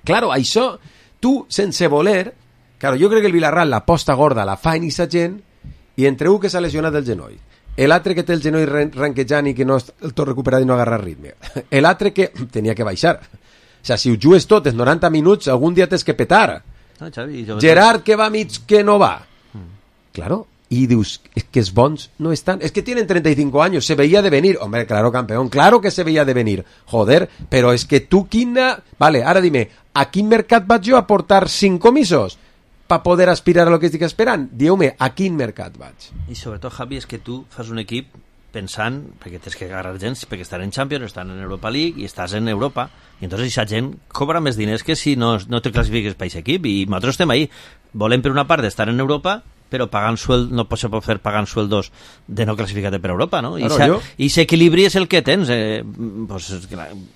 claro, això, tu, sense voler, claro, jo crec que el Villarreal la posta gorda la fa en esa gent i entre un que s'ha lesionat el genoll, l'altre que té el genoll ren ranquejant i que no el tot recuperat i no agarra ritme, l'altre que tenia que baixar. O sea, si ho jugues tot en noranta minuts, algun dia tens que petar. No, Xavi, jo... Gerard que va mig que no va. Claro, y dius, es que es bons no están, es que tienen treinta y cinco años, se veía de venir, hombre, claro, campeón, claro que se veía de venir, joder, pero es que tú, quina... Vale, ahora dime, ¿a quin mercat vaig jo a portar cinc comissos para poder aspirar a lo que estic esperant? Dieu-me, a quin mercat vaig? I sobretot, Javi, és que tu fas un equip pensant, perquè tens que agarrar gent, perquè estan en Champions, estan en Europa League i estàs en Europa, i entonces aquesta gent cobra més diners que si no, no te classifiques per aquest equip, i nosaltres estem ahí. Volem per una part estar en Europa, però pagant sueld, no se pot fer pagant sueldos de no classificar-te per Europa, no? I Claro, aquest equilibri és el que tens, eh, pues,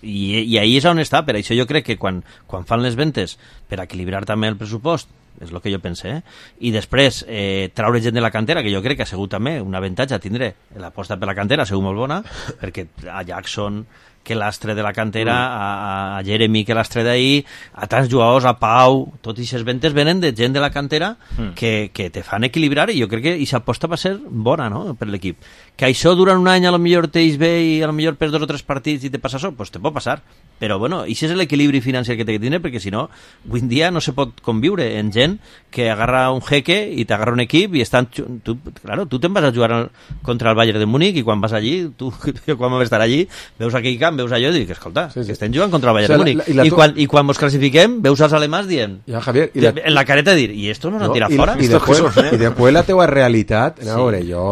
i, i ahí és on està, per això jo crec que quan, quan fan les ventes per equilibrar també el pressupost, és el que jo pense, eh? I després eh, traure gent de la cantera, que jo crec que ha sigut també un avantatge tindre l'aposta per la cantera, ha sigut molt bona, perquè a Jackson, que l'astre de la cantera, mm. a, a Jeremy, que l'astre d'ahir, a tants jugadors, a Pau, tot i aquestes ventes venen de gent de la cantera mm. que, que te fan equilibrar, i jo crec que aquesta aposta va ser bona, no?, per l'equip. Que això durant un any a lo millor t'eix bé i a lo millor per dos o tres partits i te passa això, pues te pot passar. Però bueno, i és l'equilibri financer que té que tenir, perquè si no, avui en dia no se pot conviure en gent que agarra un jeque i t'agarra un equip i estan... Tu, claro, tu te'n vas a jugar contra el Bayern de Múnich i quan vas allí, tu quan vas estar allí, veus aquell camp, veus allò i dius, escolta, sí, sí. que estem jugant contra el Bayern o sea, de Múnich. La, la, la I, tu... quan, I quan mos classifiquem, veus els alemans dient... Ja, Javier, i la... en la careta dir, i esto nos no, han tirat i, fora? I, i, después, i després la teua realitat, a veure, sí. jo...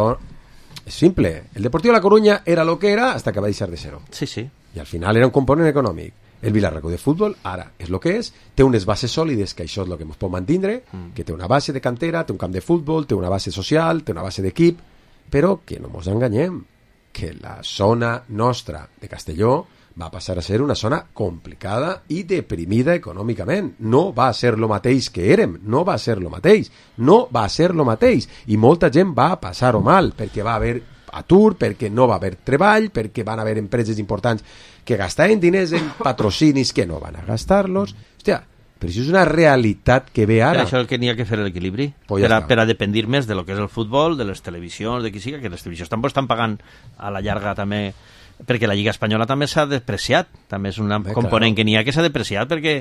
És simple. El Deportivo de La Coruña era lo que era hasta que va deixar de ser-ho. Sí, sí. I al final era un component econòmic. El Vilarreal de Futbol ara és el que és, té unes bases sòlides, que això és el que ens pot mantindre, mm. que té una base de cantera, té un camp de futbol, té una base social, té una base d'equip, però que no ens enganyem, que la zona nostra de Castelló va passar a ser una zona complicada i deprimida econòmicament. No va ser lo mateix que érem, no va ser lo mateix, no va ser lo mateix. I molta gent va passar-ho mal, perquè va haver atur, perquè no va haver treball, perquè van haver empreses importants que gastaven diners en patrocinis que no van a gastar-los. Hòstia, però això és una realitat que ve ara. Per això el que n'hi ha que fer l'equilibri, pues per, a, per a dependir més de lo que és el futbol, de les televisions, de qui siga, que les televisions tampoc estan pagant a la llarga també, perquè la Lliga Espanyola també s'ha depreciat, també és un Bé, component claro. que n'hi ha que s'ha depreciat perquè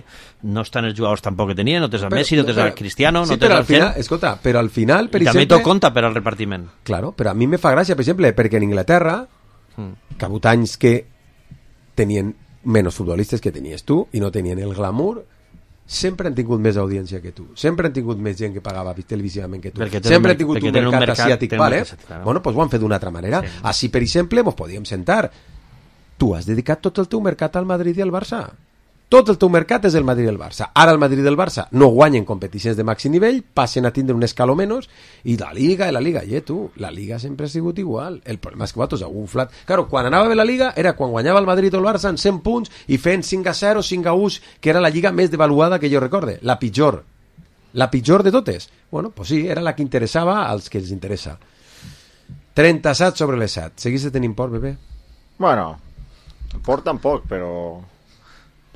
no estan els jugadors tampoc que tenien, no tens el Messi, no tens el Cristiano, sí, no tens el al final, escolta, però al final, per I exemple... també tot compta per al repartiment. Claro, però a mi me fa gràcia, per exemple, perquè en Inglaterra, mm. que ha hagut anys que tenien menys futbolistes que tenies tu i no tenien el glamour, sempre han tingut més audiència que tu, sempre han tingut més gent que pagava televisivament que tu, sempre han tingut un mercat, un mercat asiàtic, vale? Mercat, claro. Bueno, pues ho han fet d'una altra manera. Sí. Així, per exemple, ens podíem sentar. Tu has dedicat tot el teu mercat al Madrid i al Barça. Tot el teu mercat és el Madrid i el Barça. Ara el Madrid i el Barça no guanyen competicions de màxim nivell, passen a tindre un escaló menys, i la Liga, i la Liga, i tu, la Liga sempre ha sigut igual. El problema és que vosaltres heu inflat. Claro, quan anava bé la Liga era quan guanyava el Madrid o el Barça en cent punts i fent cinc a zero, cinc a u, que era la Lliga més devaluada que jo recorde. La pitjor. La pitjor de totes. Bueno, pues sí, era la que interessava als que els interessa. trenta-set sobre les set. Seguís de tenir por, bebé? Bueno, por tampoc, però...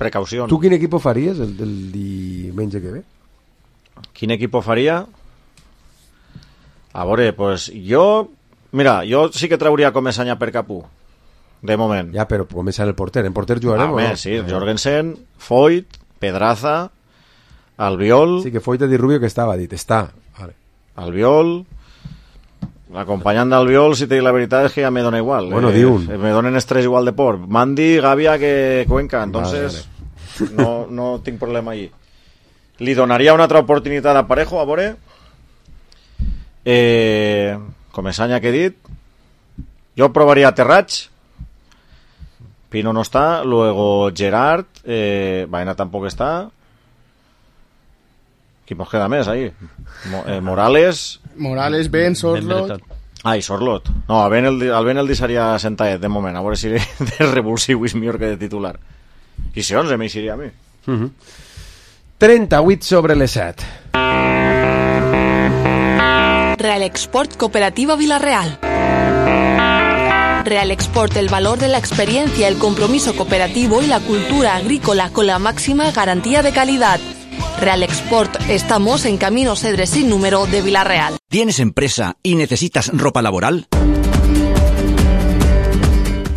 precaució. Tu quin equip faries el del diumenge que ve? Quin equip faria? A veure, pues jo... Mira, jo sí que trauria Comesaña per Capú, de moment. Ja, però començar el porter. En porter jugarem, ah, o no? Sí, Jorgensen, Foyt, Pedraza, Albiol... Sí, que Foyt ha dit Rubio que estava, dit, està. Vale. Albiol... Acompanyant d'Albiol, si te dic la veritat és que ja me dona igual. Bueno, eh, di un. Me donen estrès igual de por. Mandi, Gavia que Cuenca, entonces vale, vale. No, no tinc problema allí. Li donaria una altra oportunitat a Parejo, a veure. Eh, Comesaña que he dit. Jo provaria Terrats. Pino no està. Luego Gerard. Eh, Baena tampoc està. Qui mos queda més ahí? Mo, eh, Morales... Morales, Ben, Sorlot... Ai, Sorlot. No, a Ben el, el Ben el deixaria sentadet, de moment. A veure si de revulsiu és millor que de titular. I si onze m'eixiria a mi. Uh-huh. trenta-vuit sobre les set. Real Export Cooperativa Vilarreal. Real Export, el valor de la experiencia, el compromiso cooperativo y la cultura agrícola con la máxima garantía de calidad. Real Export, estamos en Camino Cedres sin número de Vilarreal. ¿Tienes empresa y necesitas ropa laboral?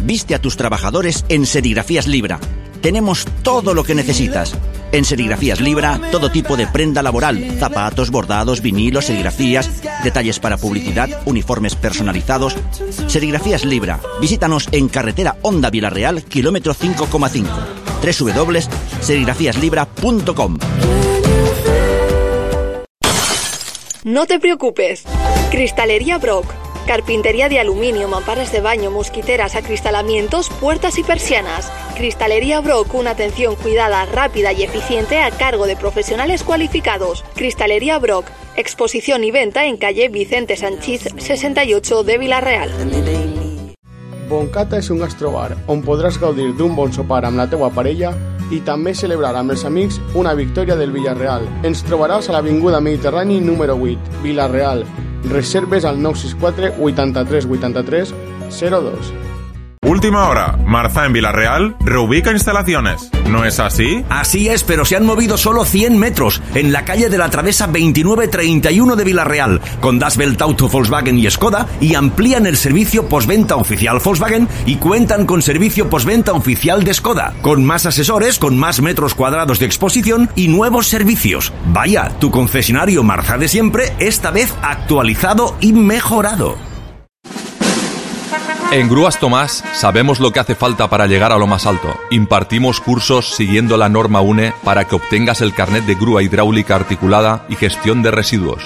Viste a tus trabajadores en Serigrafías Libra. Tenemos todo lo que necesitas. En Serigrafías Libra, todo tipo de prenda laboral, zapatos, bordados, vinilos, serigrafías, detalles para publicidad, uniformes personalizados. Serigrafías Libra. Visítanos en carretera Honda Vilarreal, kilómetro cinco coma cinco. doble u doble u doble u punto serigrafías libra punto com. No te preocupes. Cristalería Brock. Carpintería de aluminio, mamparas de baño, mosquiteras, acristalamientos, puertas y persianas. Cristalería Brock, una atención cuidada, rápida y eficiente a cargo de profesionales cualificados. Cristalería Brock, exposición y venta en calle Vicente Sanchís sesenta y ocho de Vilarreal. Boncata és un gastrobar on podràs gaudir d'un bon sopar amb la teua parella i també celebrar amb els amics una victòria del Villarreal. Ens trobaràs a l'Avinguda Mediterrani número vuit, Vilarreal. Reserves al nou sis quatre vuitanta-tres vuitanta-tres zero dos. Última hora, Marza en Villarreal reubica instalaciones. ¿No es así? Así es, pero se han movido solo cien metros en la calle de la Travesa veintinueve treinta y uno de Villarreal, con Das Welt Auto, Volkswagen y Skoda, y amplían el servicio postventa oficial Volkswagen y cuentan con servicio postventa oficial de Skoda, con más asesores, con más metros cuadrados de exposición y nuevos servicios. Vaya, tu concesionario Marza de siempre, esta vez actualizado y mejorado. En Grúas Tomás sabemos lo que hace falta para llegar a lo más alto. Impartimos cursos siguiendo la norma U N E para que obtengas el carnet de grúa hidráulica articulada y gestión de residuos.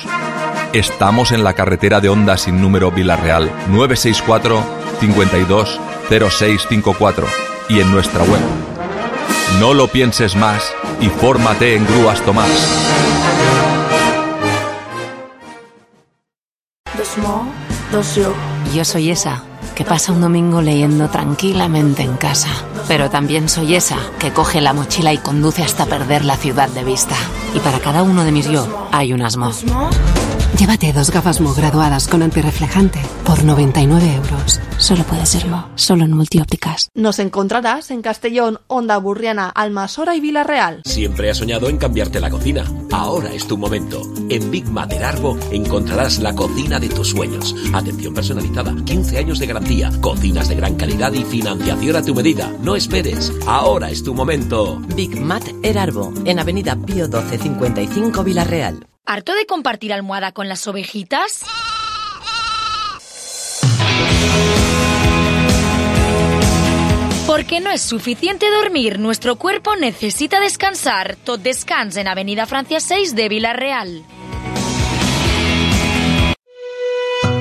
Estamos en la carretera de Honda sin número Villarreal, nueve seis cuatro, cinco dos, cero seis cinco cuatro y en nuestra web. No lo pienses más y fórmate en Grúas Tomás. Dos mo, dos yo. Yo soy esa que pasa un domingo leyendo tranquilamente en casa. Pero también soy esa que coge la mochila y conduce hasta perder la ciudad de vista. Y para cada uno de mis yo hay un asmo. Llévate dos gafas Mo graduadas con antirreflejante por noventa y nueve euros. Solo puede serlo, solo en Multiópticas. Nos encontrarás en Castellón, Onda Burriana, Almasora y Villarreal. Siempre has soñado en cambiarte la cocina. Ahora es tu momento. En Big Mater Arbo encontrarás la cocina de tus sueños. Atención personalizada, quince años de garantía, cocinas de gran calidad y financiación a tu medida. No esperes, ahora es tu momento. Big Mater Arbo, en Avenida Pío doce cincuenta y cinco Villarreal. ¿Harto de compartir almohada con las ovejitas? Porque no es suficiente dormir, nuestro cuerpo necesita descansar. Tot Descans en Avenida Francia seis de Villarreal.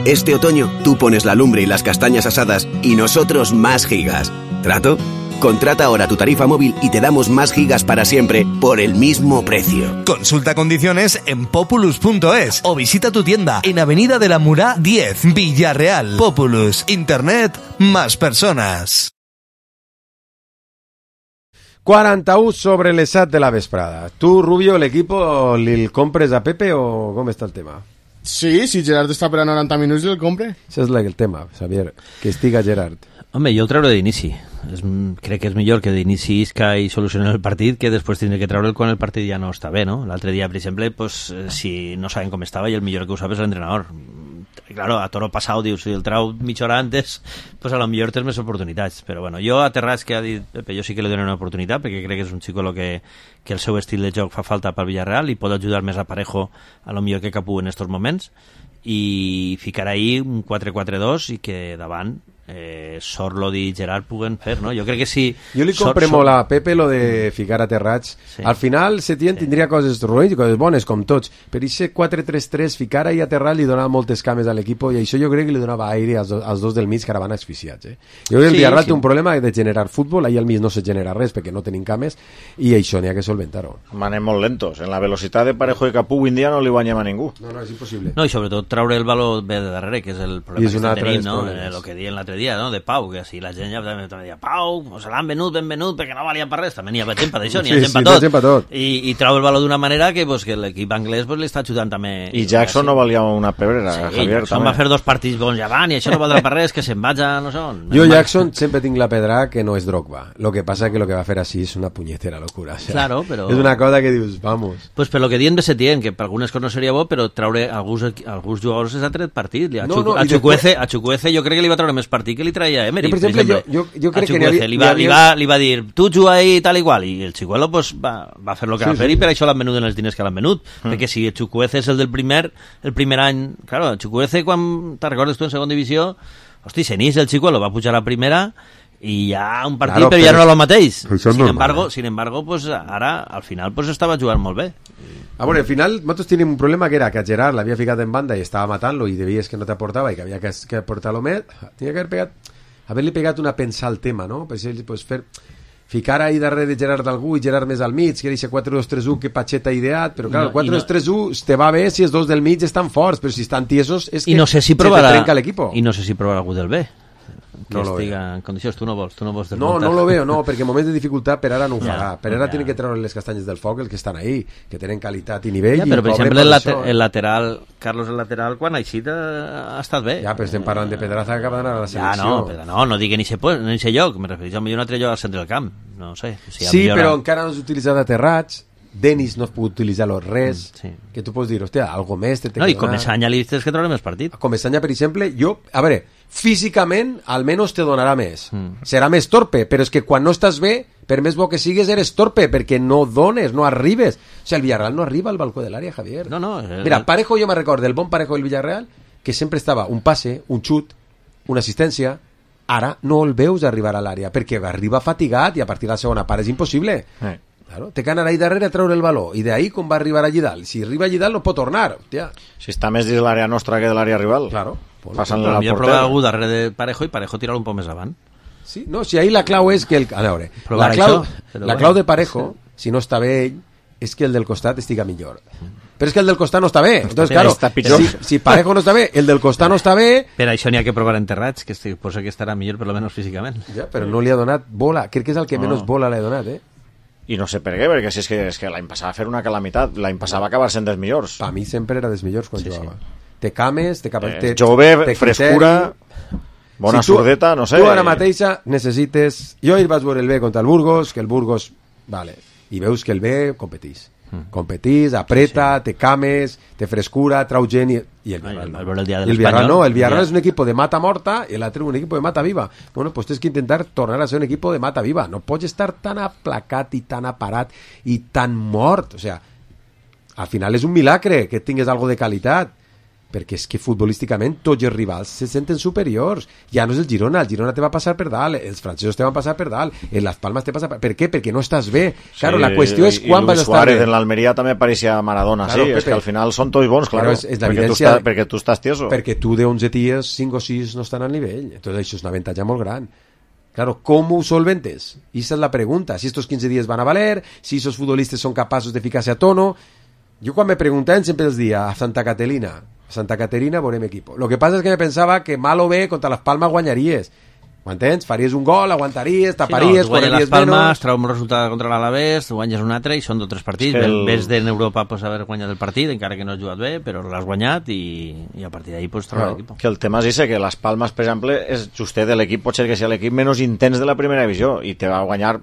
Este otoño tú pones la lumbre y las castañas asadas y nosotros más gigas. ¿Trato? Contrata ahora tu tarifa móvil y te damos más gigas para siempre por el mismo precio. Consulta condiciones en populus punto es o visita tu tienda en Avenida de la Murá diez, Villarreal. Populus, internet, más personas. quaranta-u sobre les set de la vesprada. Tu, Rubio, l'equipo li compres a Pepe o com està el tema? Sí, si Gerard està per a noranta minuts el compre. Això és el tema, Xavier, que estiga Gerard. Home, jo el treure d'inici. És, crec que és millor que d'inici isca i solucionar el partit que després tindre que treure'l quan el partit ja no està bé, no? L'altre dia, per exemple, pues, si no saben com estava i el millor que ho sap és l'entrenador. Claro, a toro passat dius, si el trau mitja hora antes, pues a lo millor tens més oportunitats. Però bueno, jo a Terrats, que ha dit Pepe, jo sí que li dono una oportunitat perquè crec que és un xico lo que, que el seu estil de joc fa falta pel Villarreal i pot ajudar més a Parejo a lo millor que Capú en estos moments i ficar ahí un quatre quatre dos i que davant eh, Sorlot i Gerard puguen fer, no? Jo crec que sí. Jo li compre Sor, molt a Pepe lo de ficar a Terrats. Sí. Al final Setién sí. tindria coses ruïns i coses bones, com tots, però aquest quatre tres tres ficar ahí a Terrats li donava moltes cames a l'equip i això jo crec que li donava aire als, do, als dos del mig que ara van asfixiats. Eh? Jo crec que el sí, Villarreal sí. té un problema de generar futbol, ahí al mig no se genera res perquè no tenim cames i això n'hi ha que solventar-ho. Manem molt lentos. En la velocitat de Parejo i Capú avui en dia no li guanyem a ningú. No, no, és impossible. No, i sobretot traure el valor bé de darrere, que és el problema que estem tenint, no? Eh, lo que deien l'altre dia, no? De Pau, que si la gent ja també deia Pau, o se l'han venut, ben venut, perquè no valia per res, també n'hi ha gent per això, n'hi ha gent per tot. Sí, tot. I, i trau el valor d'una manera que, pues, que l'equip anglès pues, li està ajudant també. I Jackson no valia una pebrera, sí, Javier, Jackson també va fer dos partits bons llevant i això no valdrà per res, que se'n vaig a no sé on. Jo Jackson sempre tinc la pedra que no és Drogba, lo que passa que lo que va fer així és una punyetera locura, o sea, claro, però... és una cosa que dius, vamos. Pues per lo que diuen de Setién, que per algunes coses no seria bo, però traure alguns, alguns jugadors és a tret partit. A, no, no, a, Chukwueze, a Chukwueze jo crec que li va treure més partit que li traia Emery, per exemple. Jo, jo, jo crec que havia, li, va, havia... li, va, li va dir, tu juga ahí tal igual, i el Chicuelo pues, va, va fer el que sí, va fer sí. i per això l'han venut en els diners que l'han venut, mm. perquè si el Chukwueze és el del primer, el primer any, claro, el Chukwueze quan te recordes tu en segona divisió, hosti, Senís, el Chicuelo va pujar a primera i ja un partit, claro, però ja no era el mateix. Sin embargo, sin embargo, pues, ara, al final, pues, estava jugant molt bé. Ah, bueno, al final nosotros teníamos un problema que era que a Gerard l'havia ficat en banda i estava matant-lo i devies que no t'aportava i que havia que, que aportar-lo més, tenia que haver pegat, haver-li pegat una pensa al tema, no? Per exemple, pues, fer, ficar ahí darrere de Gerard d'algú i Gerard més al mig, que era quatre dos tres u que Pacheta ha ideat, però clar, no, el quatre dos tres u no... te va bé si els dos del mig estan forts, però si estan tiesos és que no sé si provarà, se te trenca l'equip. I no sé si provarà algú del B. que No lo estiga veo. en condicions. Tu no vols, tu no vols No, desmuntar. no lo veo, no, perquè en moments de dificultat per ara no ho Ja, farà. Per ara ja. tiene que treure les castanyes del foc els que estan ahí, que tenen qualitat i nivell. Ja, i però, per cobren exemple, el, late això, eh? el lateral, Carlos el lateral, quan ha eixit ha, ha estat bé. Ja, però estem parlant de Pedraza que acaba d'anar a la Ja, selecció. no, però no, no digui ni se, pues, ni se lloc, me refereixo a millor un altre lloc al centre del camp, no sé. Si Sí, millora... però encara no s'utilitza d'aterrats, Denis no es pot utilitzar-lo res, Mm, sí. que tu pots dir, hòstia, algo més te té No, que i com donar. és any li tens que treure més partit. Com Esanya, per exemple, jo, a veure, físicament almenys te donarà més. Mm. Serà més torpe, però és que quan no estàs bé, per més bo que sigues, eres torpe, perquè no dones, no arribes. O sigui, el Villarreal no arriba al balcó de l'àrea, Javier. No, no. Eh, Mira, Parejo, jo me recordo del bon Parejo del Villarreal, que sempre estava un passe, un xut, una assistència. Ara no el veus arribar a l'àrea, perquè arriba fatigat i a partir de la segona part és impossible. Eh. Claro, té que anar ahí darrere a treure el baló, i d'ahí com va arribar allí dalt. Si arriba allí dalt no pot tornar, hòstia. Si està més dins l'àrea nostra que de l'àrea rival. Claro. Passant-li Però al millor porter. provar algú darrere de Parejo i Parejo tirar un poc més avant. Sí, no, si ahí la clau és que el... A veure, Provar la clau, això, però la bueno. clau de Parejo, si no està bé ell, és que el del costat estiga millor. Però és que el del costat no està bé. Entonces, bé, claro, està pitjor. si, si Parejo no està bé, el del costat no està bé, Per això n'hi ha que provar enterrats, que estic, posa que estarà millor per lo menos físicament. ja, però no li ha donat bola. Crec que és el que No. menys bola li ha donat, eh? I no sé per què, perquè si és que, és que l'any passat va fer una calamitat, l'any passat va acabar sent dels millors. Per mi sempre era dels millors quan Sí, jugava. Té cames, té Eh, capacitat... jove, frescura, bona tu- sordeta, no sé. Tu ara mateixa necessites... Jo ahir vaig veure el B contra el Burgos, que el Burgos... Vale, i veus que el B competís. Mm. Competís, apreta, té cames, té frescura, trau gent i, i el Villarreal no. veure el dia de I el Villarreal l'Espanyol, no, el Villarreal ja. és un equipo de mata morta i l'altre un equipo de mata viva. Bueno, pues tens que intentar tornar a ser un equipo de mata viva. No pots estar tan aplacat i tan aparat i tan mort. O sea, al final és un milagre que tingues algo de qualitat, perquè és que futbolísticament tots els rivals se senten superiors. Ja no és el Girona, el Girona te va passar per dalt, els francesos te van passar per dalt, en les Palmes te passa per... Per què? Perquè no estàs bé. Claro, Sí, la qüestió és i quan Luis vas estar Suárez bé. en l'Almeria també pareixia Maradona, Claro, sí, és Pepe. que al final són tots bons, Claro, claro, és, és perquè, tu l'evidència... estàs, perquè tu estàs tieso. Perquè tu de onze ties, cinc o sis no estan al nivell. Entonces això és un avantatge molt gran. Claro, ¿cómo ho solventes? Esa es la pregunta. Si estos quinze días van a valer, si esos futbolistas son capaces de ficarse a tono. Yo cuando me preguntaban siempre les decía a Santa Caterina, a Santa Caterina veurem equipo. Lo que pasa es que me pensaba que mal o bé contra les Palmes guanyaries. Ho entens? Faries un gol, aguantaries, taparies, sí, no, guanyes les correries Palmes, menos... trau un resultat contra l'Alavés, guanyes un altre i són dos o tres partits. És que el- En vez d'Europa pues, haver guanyat el partit, encara que no has jugat bé, però l'has guanyat i, i a partir d'ahí pues, trobar l'equip. Que el tema és ese, que les Palmes, per exemple, és justet de l'equip, potser que sigui l'equip menys intens de la primera divisió, i te va guanyar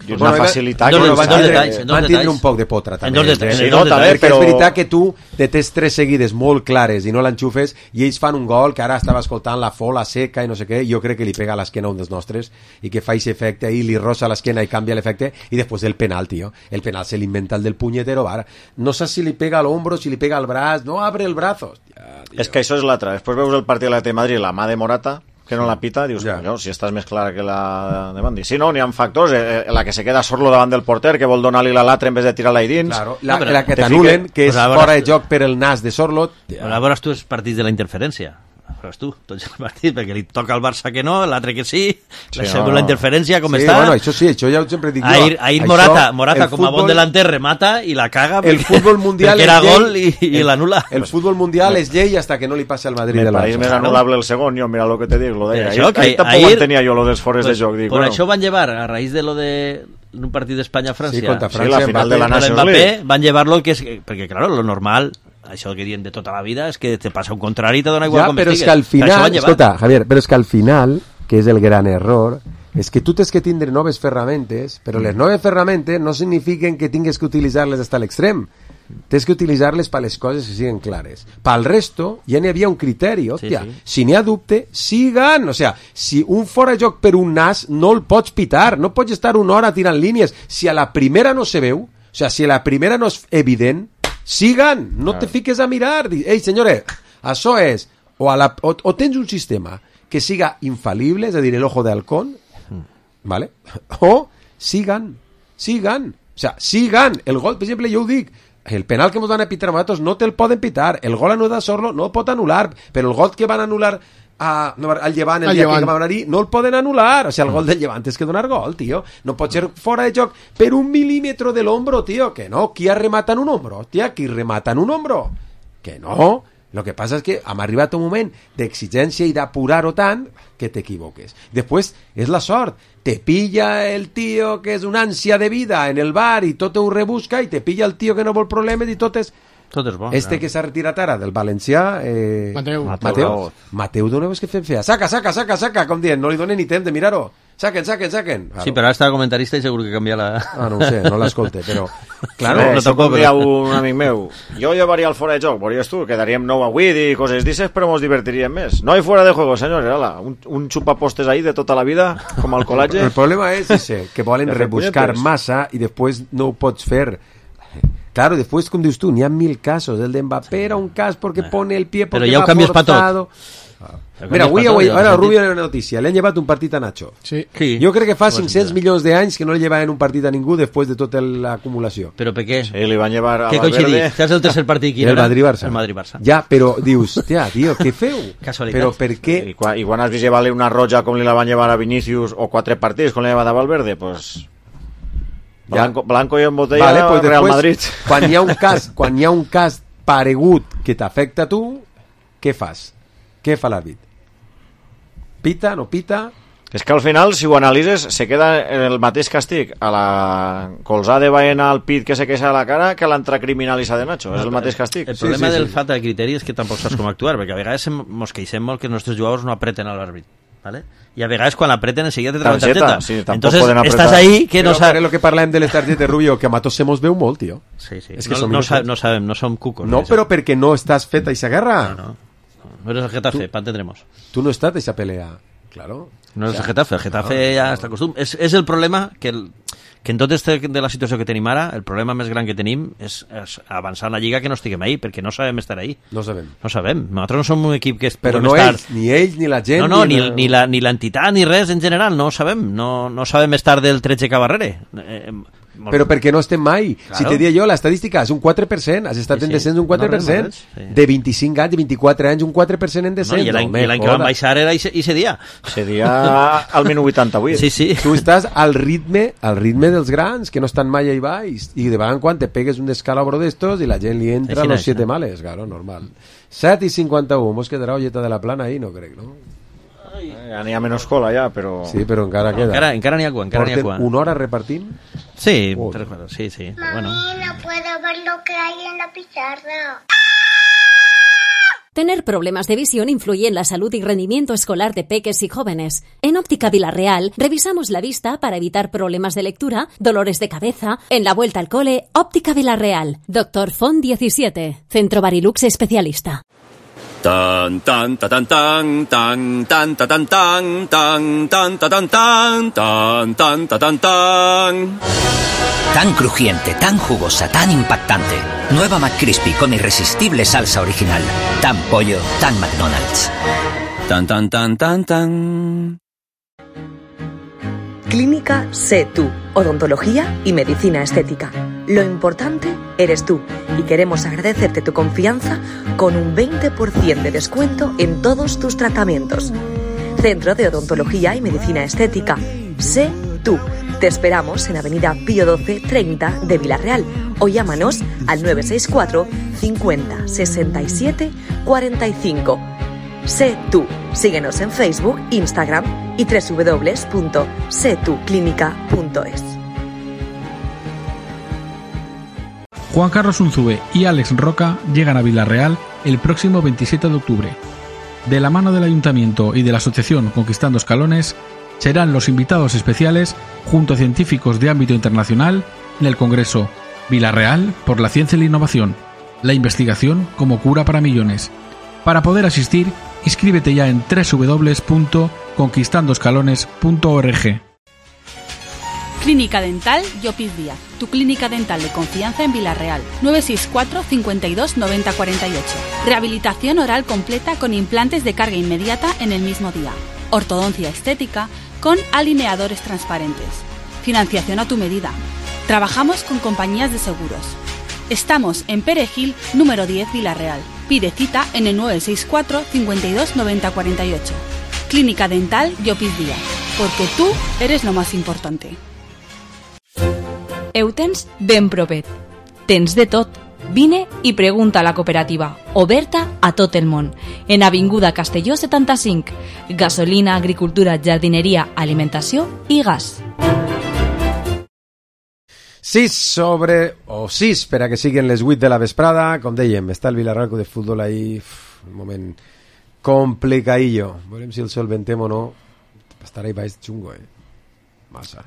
una Bueno, facilitat no, que no, no van està- tindre, detalls, en dos van tindre detalls. un poc de potra també. En dos detalls, eh? en dos detalls. Perquè però- és veritat que tu te tens tres seguides molt clares i no l'enxufes i ells fan un gol que ara estava escoltant la fola seca i no sé què, jo crec que li pega a l'esquena un dels nostres i que fa aquest efecte i li rosa l'esquena i canvia l'efecte i després el penal, tio. El penal se l'inventa el del punyetero bar. No saps si li pega a l'ombro, si li pega al braç, no abre el brazo. Hòstia, tio. És que això és l'altre. Després veus el partit de l'Atlètic de Madrid, la mà de Morata, que no la pita, dius, Ja. no, si estàs més clara que la de Bandi. Sí, no, n'hi ha factors, eh, la que se queda sorlo davant del porter, que vol donar-li la l'altre en vez de tirar-la ahí dins. Claro, la, No, però la que te t'anulen, Pues que és a veure, fora de joc per el nas de Sorlot. Però veuràs tu els partits de la interferència. Veuràs tu, tots els partits, perquè li toca al Barça que no, l'altre que sí, Sí, la, no, segona no. interferència com Sí, està. bueno, això sí, això ja ho sempre dic jo. Ahir, ahir Això, Morata, Morata el com a bon futbol- delanter remata i la caga el perquè- futbol mundial perquè era és llei. gol i, i El- l'anula. El fútbol mundial és llei hasta que no li passi al Madrid Me del pareix Barça. més anul·lable el segon, jo, mira lo que te dic, lo deia. Per Ahir, això que ahir tampoc ahir- entenia jo lo dels fores Pues, de joc. Dic, per bueno, això van llevar, a raïs de lo de un partit d'Espanya-França, Sí, contra sí, França, la final de la con el Nations Mbappé, League. van llevar-lo que és, perquè claro, lo normal, això que diuen de tota la vida, és que te passa un contrari i te dona igual Ja, com però és estigues. que al Per això final, van llevar. escolta, Javier, però és que al final, que és el gran error, és que tu tens que tindre noves ferramentes, però les noves ferramentes no signifiquen que tingues que utilitzar-les fins a l'extrem. Tens que utilitzar-les per les coses que siguin clares. Pel resto, ja n'hi havia un criteri, hòstia. Sí, sí. Si n'hi ha dubte, sigan. O sea, si un fora de joc per un nas, no el pots pitar. No pots estar una hora tirant línies. Si a la primera no se veu, o sea, si a la primera no és evident, sigan. No te fiques a mirar. Di, ei, senyores, això és... O, a la, o, o tens un sistema que siga infal·lible, és a dir, el ojo de halcón, ¿vale? O sigan, sigan, o sea, sigan. El gol, per exemple, jo ho dic, el penal que ens van a pitar a nosaltres no te'l poden pitar, el gol anul·lat a Sorlo no el pot anul·lar, però el gol que van anul·lar a, no, al Llevant el Al dia Llevant. que van anar no el poden anul·lar, o sea, el gol del Llevant és que donar gol, tio, no pot ser fora de joc per un milímetro de l'hombro, tio, que no, qui remata en un hombro, tia, qui remata en un hombro, que no, Lo que pasa es que hem arribat a un moment d'exigència i d'apurar-ho tant que t'equivoques. Després, és la sort. Te pilla el tío que és una ànsia de vida en el bar i tot ho rebusca, i te pilla el tío que no vol problemes i tot és... Tot és bo. Este clar. que s'ha retirat ara del valencià... Eh... Mateu. Mateu. Mateu, doneu que fem fea. Saca, saca, saca, saca, com dient, no li donen ni temps de mirar-ho. Saquen, saquen, saquen. Claro. Sí, però ara està comentarista i segur que canvia la... Ah, no ho sé, no l'escolte, però... Claro, no, no tampoc, però... un amic meu, jo llevaria el fora de joc, veuries tu, quedaríem nou a vuit i coses d'isses, però mos divertiríem més. No hay fuera de juego, senyors, ala, un, un xupapostes ahí de tota la vida, com al col·latge. El problema és ese, que volen rebuscar massa i després no ho pots fer. Claro, después, como dices tú, ni hay mil casos. El de Mbappé era un caso porque pone el pie porque Pero ya va cambias forzado. Pa Mira, avui, avui, ara Rubio en una notícia, li han llevat un partit a Nacho. Sí. Sí. Jo crec que fa cinc-cents milions d'anys que no li llevaven un partit a ningú després de tota l'acumulació. Però per què? Sí, li van llevar a què Valverde. Saps el tercer partit quin el era? Madrid-Barça. El Madrid-Barça. Ja, però dius, tia, tio, què feu? Casualitat. Però per què? I quan, i quan has vist llevar-li una roja com li la van llevar a Vinícius o quatre partits com li llevat a Valverde, pues... Blanco, blanco i en botella vale, pues Real després, Madrid. Quan hi ha un cas, quan hi ha un cas paregut que t'afecta a tu, què fas? Què fa l'àrbit? Pita, no pita? És que al final, si ho analitzes, se queda el mateix castig a la colzada de Baena al pit que se queixa a la cara que a l'entra criminalista de Nacho. És el mateix castig. El problema sí, sí, del sí. falta de criteri és que tampoc saps com actuar, perquè a vegades mos queixem molt que els nostres jugadors no apreten a l'àrbit. ¿Vale? Y a vegades quan apreten enseguida te traen tarjeta. Sí, entonces estás ahí que no sabes lo que parlem de les targetes, Rubio, que a matos se mos veu molt, tio. Sí, sí. Es que no, no, sa no sabem, no som cucos. No, però perquè no estàs fet a esa guerra. No, no. No eres el Getafe, pa tendremos. Tú no estás a esa pelea, claro. No eres o sea, el Getafe, el Getafe no, ja no. està acostum. És, és el problema que el, que en tot este de la situació que tenim ara, el problema més gran que tenim és, és avançar en la Lliga que no estiguem ahí, perquè no sabem estar ahí. No sabem. No sabem. Nosaltres no som un equip que Però no estar... ells, ni ells, ni la gent... No, no, ni, ni, ni, la, ni l'entitat, ni res en general, no ho sabem. No, no sabem estar del tretze cap darrere. Eh, Però perquè no estem mai. Claro. Si te dia jo, l'estadística és un quatre per cent, has estat sí, sí. en descens un quatre per cent. No, sí. De vint-i-cinc anys, de vint-i-quatre anys, un quatre per cent en descens. No, I l'any que van baixar era ese dia. Ese dia al minut vuitanta-vuit. Sí, sí. Tu estàs al ritme, al ritme dels grans, que no estan mai ahí baix. I de vegades en quan te pegues un descalabro d'estos i la gent li entra Així los no, siete no. males, claro, normal. set i cinquanta-u, mos quedarà olleta de la plana ahí, no crec, no? Ja n'hi ha menys cola, ja, però... Sí, però encara queda. Encara, encara n'hi ha quan, encara n'hi ha Porten quan. una hora repartint? Sí, oh. tres cuadros, sí, sí. Mami, bueno. no puedo ver lo que hay en la pizarra. Tener problemas de visión influye en la salud y rendimiento escolar de peques y jóvenes. En Óptica Villarreal revisamos la vista para evitar problemas de lectura, dolores de cabeza. En la vuelta al cole, Óptica Villarreal. Doctor Font diecisiete. Centro Barilux especialista. Tan tan ta tan tan tan tan ta tan tan tan tan ta tan tan tan tan ta tan tan. Tan crujiente, tan jugosa, tan impactante. Nueva McCrispy con irresistible salsa original. Tan pollo, tan McDonald's. Tan tan tan tan tan. Clínica Sé Tú, odontología y medicina estética. Lo importante eres tú y queremos agradecerte tu confianza con un veinte por ciento de descuento en todos tus tratamientos. Centro de Odontología y Medicina Estética. Sé Tú. Te esperamos en Avenida Pío doce treinta de Villarreal o llámanos al nueve seis cuatro cincuenta sesenta y siete cuarenta y cinco. Sé Tú. Síguenos en Facebook, Instagram y doble u doble u doble u punto sé tú clínica punto es. Juan Carlos Unzúe y Alex Roca llegan a Villarreal el próximo veintisiete de octubre. De la mano del Ayuntamiento y de la Asociación Conquistando Escalones, serán los invitados especiales junto a científicos de ámbito internacional en el Congreso Villarreal por la Ciencia y la Innovación, la investigación como cura para millones. Para poder asistir, inscríbete ya en doble u doble u doble u punto conquistando escalones punto org. Clínica Dental Llopis Díaz, tu clínica dental de confianza en Villarreal. nueve seis cuatro cincuenta y dos noventa cuarenta y ocho. Rehabilitación oral completa con implantes de carga inmediata en el mismo día. Ortodoncia estética con alineadores transparentes. Financiación a tu medida. Trabajamos con compañías de seguros. Estamos en Perejil, número diez, Villarreal. Pide cita en el nueve seis cuatro cincuenta y dos noventa cuarenta y ocho. Clínica Dental Llopis Díaz, porque tú eres lo más importante. Eutens ben propet. Tens de tot. Vine i pregunta a la cooperativa, oberta a tot el món, en Avinguda Castelló setanta-cinc. Gasolina, agricultura, jardineria, alimentació i gas. sis sobre, o sis per a que siguin les vuit de la vesprada. Com dèiem, està el Villarreal Club de Futbol ahí, uf, un moment complicadillo. Veurem si el solventem o no. Estarà ahí baix xungo, eh? Massa.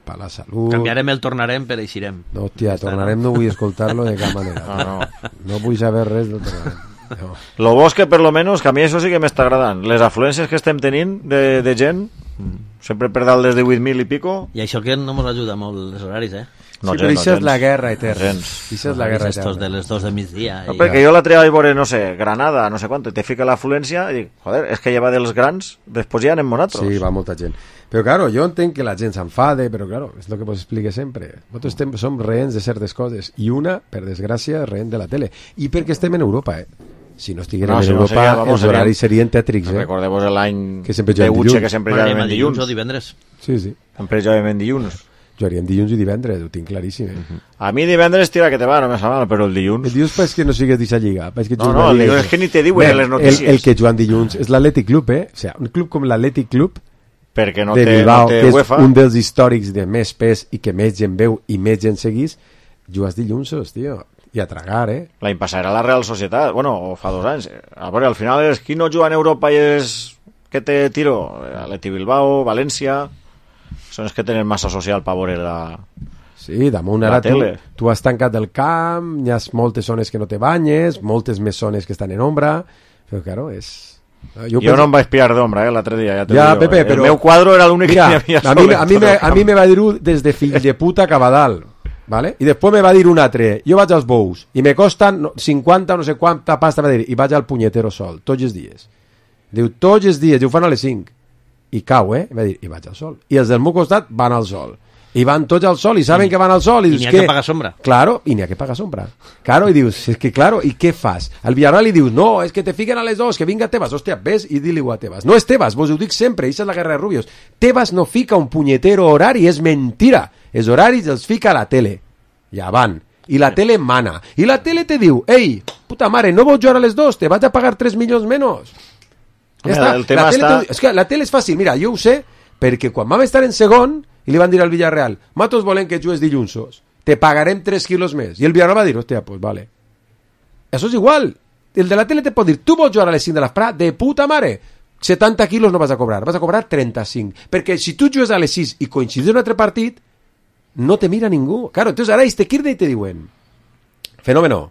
Per la salut. Canviarem el tornarem per eixirem. No, hòstia, tornarem no vull escoltar-lo de cap manera. No, no. No vull saber res del tornarem. No. Lo bo és que per lo menos, que a mi això sí que m'està agradant. Les afluències que estem tenint de, de gent, mm. sempre per dalt des de vuit mil i pico. I això que no ens ajuda molt els horaris, eh? No, sí, gent, però no, això és gens. la guerra eterna. Gens. Això és la guerra eterna. Estos de les dos de migdia. No, I... perquè jo l'altre dia vaig veure, no sé, Granada, no sé quant, te fica l'afluència i dic, joder, és que ja va dels grans, després ja anem nosaltres. Sí, va molta gent. Però, claro, jo entenc que la gent s'enfade, però, claro, és el que vos explique sempre. Nosaltres estem, som rehens de certes coses, i una, per desgràcia, rehent de la tele. I perquè estem en Europa, eh? Si no estiguérem no, en si Europa, no seria, vamos, els horaris serien tètrics, eh? Recordeu-vos l'any que sempre de Uche, que sempre jugàvem jugàvem dilluns. o divendres. Sí, sí. Sempre jugàvem dilluns. Jugaríem dilluns i divendres, ho tinc claríssim, eh? Uh-huh. A mi divendres tira que te va, no me sap mal, però el dilluns... El dilluns és que no sigues d'aquesta lliga. Que no, no, el dilluns és que ni te diuen en les notícies. El, el que juguen dilluns és l'Atlètic Club, eh? O sigui, un club com l'Atlètic Club perquè no de té, Bilbao, no té que és UEFA. Un dels històrics de més pes i que més gent veu i més gent seguís, jugues dilluns, tio. I a tragar, eh? L'any passat era la Real Societat, bueno, o fa dos anys. A veure, al final és qui no juga en Europa i és que té tiro, Atleti Bilbao, València, són els que tenen massa social per veure la... Sí, damunt ara tu, tu has tancat el camp, hi ha moltes zones que no te banyes, moltes més zones que estan en ombra, però claro, és... Jo, jo penso... no em vaig pillar d'ombra, eh, l'altre dia, ja te ja, digo. Pepe, El però... meu quadro era l'únic Mira, que hi havia a mi, a, mi me, a mi me va dir-ho des de fill de puta cap a dalt, ¿vale? I després me va dir un altre, jo vaig als bous, i me costen cinquanta no sé quanta pasta, va dir, i vaig al punyetero sol, tots els dies. Diu, tots els dies, i ho fan a les cinc. I cau, eh? Va dir, i vaig al sol. I els del meu costat van al sol. I van tots al sol, i saben I, que van al sol. I, i dius, n'hi ha que que pagar sombra. Claro, i n'hi ha que pagar sombra. Claro, i dius, és que claro, i què fas? Al Villarreal li dius, no, és que te fiquen a les dos, que vinga Tebas. Hòstia, ves i di-li-ho a Tebas. No és Tebas, vos ho dic sempre, això és la guerra de Rubios. Tebas no fica un punyetero horari, és mentira. Els horaris els fica a la tele. Ja van. I la tele mana. I la tele te diu, ei, puta mare, no vols jugar a les dos, te vaig a pagar tres milions menys. Ja Mira, està. el tema la tele està... te... És que la tele és fàcil, mira, jo ho sé, perquè quan vam estar en segon, i li van dir al Villarreal, matos volen que jugues dilluns, te pagarem tres quilos més. I el Villarreal va dir, hòstia, pues vale. Això és igual. El de la tele te pot dir, tu vols jugar a les cinc de l'esprà, de puta mare, setanta quilos no vas a cobrar, vas a cobrar trenta-cinc. Perquè si tu jugues a les sis i coincides un altre partit, no te mira ningú. Claro, entonces ara ells te quirden i te diuen, fenómeno,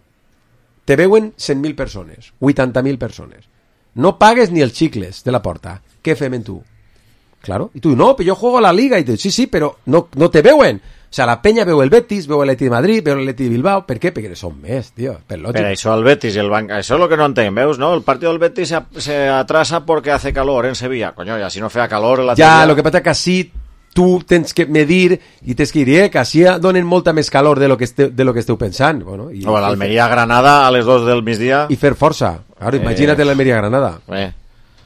te veuen cent mil persones, vuitanta mil persones. No pagues ni els xicles de la porta. Què fem en tu? Claro. Y tú, no, pero yo juego a la liga. Y tú, sí, sí, pero no, no te veuen. O sea, la Peña veu el Betis, veu el Atleti de Madrid, veu el Atleti de Bilbao. Per què? Perquè són més, tio. Per lògic. Pero eso al Betis y el banca, eso es lo que no entenc, veus, ¿no? El partido del Betis se, se atrasa porque hace calor en Sevilla. Coño, ya si no fea calor en la Ja, tele... lo que passa que així tu tens que medir i tens que dir, eh, que així donen molta més calor de lo que esteu, de lo que esteu pensant. Bueno, i, o l'Almeria-Granada a les dos del migdia. I fer força. Claro, imagina't eh... l'Almeria-Granada. Eh...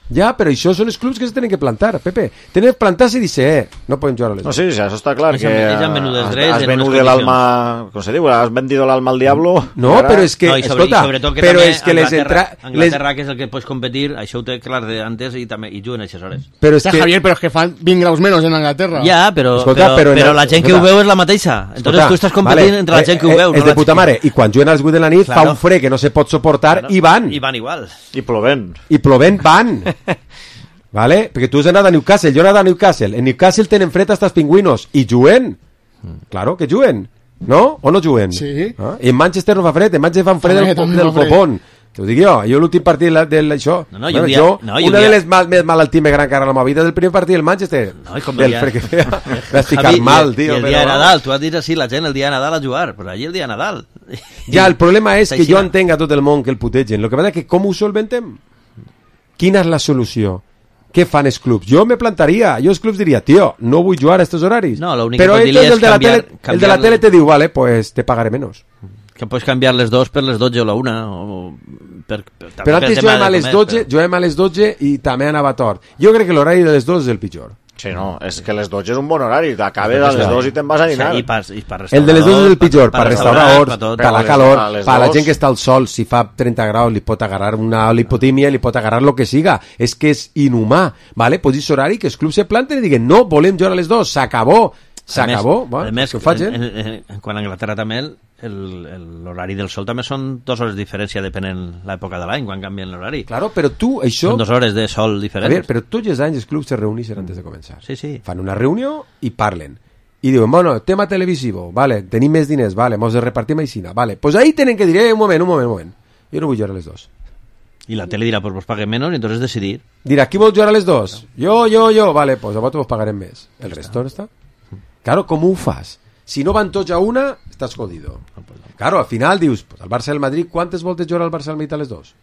Ja, però això són els clubs que se tenen que plantar, Pepe. Tenen que plantar-se i dir, eh, no podem jugar a les no, sí, sí, això està clar. Ells que han, han venut els drets has en venut unes l'alma, com se diu, has vendido l'alma al diablo. No, ara... però és que, no, i sobre, escolta, i sobretot que però també és que les Anglaterra, entra... Anglaterra, les... que és el que pots competir, això ho té clar d'antes i també i juguen a aquestes hores. Però és que... Javier, però és que fan vint graus menys en Anglaterra. Ja, però, escolta, però, però, però la gent que ho veu és la mateixa. Entonces escolta, tu estàs competint vale, entre la gent que ho veu. És no de puta mare. I quan juguen als vuit de la nit claro. fa un fred que no se pot suportar claro. i van. I van igual. I plovent. I plovent van. ¿Vale? Perquè tu has anat a Newcastle, jo he anat a Newcastle. En Newcastle tenen fred hasta els pingüinos. I juguen. Claro que juguen. ¿No? O no juguen? Sí. Ah? I en Manchester no fa fred, en Manchester fan fred del, del copón. Te ho dic jo, jo l'últim partit d'això. No, no, bueno, dia, jo, no, una dia... de les mal, més malaltimes gran cara a la meva vida del primer partit del Manchester. No, i com del dia... fred que feia. Vas ficar Javi, mal, i, tio. I el però... dia de Nadal, tu has dit així, la gent el dia de Nadal a jugar, però allí el dia de Nadal. Ja, el problema és que jo entenc a tot el món que el putegen. El que passa és que com ho solventem? Quina és la solució? Què fan els clubs? Jo me plantaria, jo els clubs diria, tio, no vull jugar a estos horaris. No, l'únic però que pot dir és el de, la canviar, tele, el de la tele te diu, vale, pues te pagaré menos. Que pots canviar les dos per les dotze o la una. O per, per, però antes juguem a les dotze, però... juguem a les dotze i també anava tort. Jo crec que l'horari de les dos és el pitjor. Sí, no, és que les dotze és un bon horari, t'acabes a les dos i te'n vas a dinar. Sí, i per, i per el de les dos és el pitjor, per restauradors, per, per la calor, per la gent que està al sol, si fa trenta graus li pot agarrar una lipotímia, li pot agarrar lo que siga, és que és inhumà, ¿vale? Pues és horari que els clubs se planten i diguen, no, volem jugar a les dos, s'acabó, s'acabó, a més, que ho faig, en, en, en, quan a Anglaterra també l'horari del sol també són dues hores de diferència depenent l'època de l'any quan canvien l'horari. Claro, però tu això... Són dues hores de sol diferents. A veure, però tots els anys els clubs se reuneixen antes de començar. Sí, sí. Fan una reunió i parlen. I diuen, bueno, tema televisivo, vale, tenim més diners, vale, mos de repartim aixina, vale. Pues ahí tenen que dir, eh, un moment, un moment, un moment. Jo no vull jugar a les dos. I la tele dirà, pues vos paguem menys, i entonces decidir. Dirà, qui vol jugar a les dos? Jo, jo, jo, vale, pues a vosaltres vos pagarem més. El resto no està. Claro, com ho fas? Si no van tots a una, estàs jodido. Claro, al final dius, pues, el Barça i el Madrid, quantes voltes jugar el Barça i el Madrid a les dos?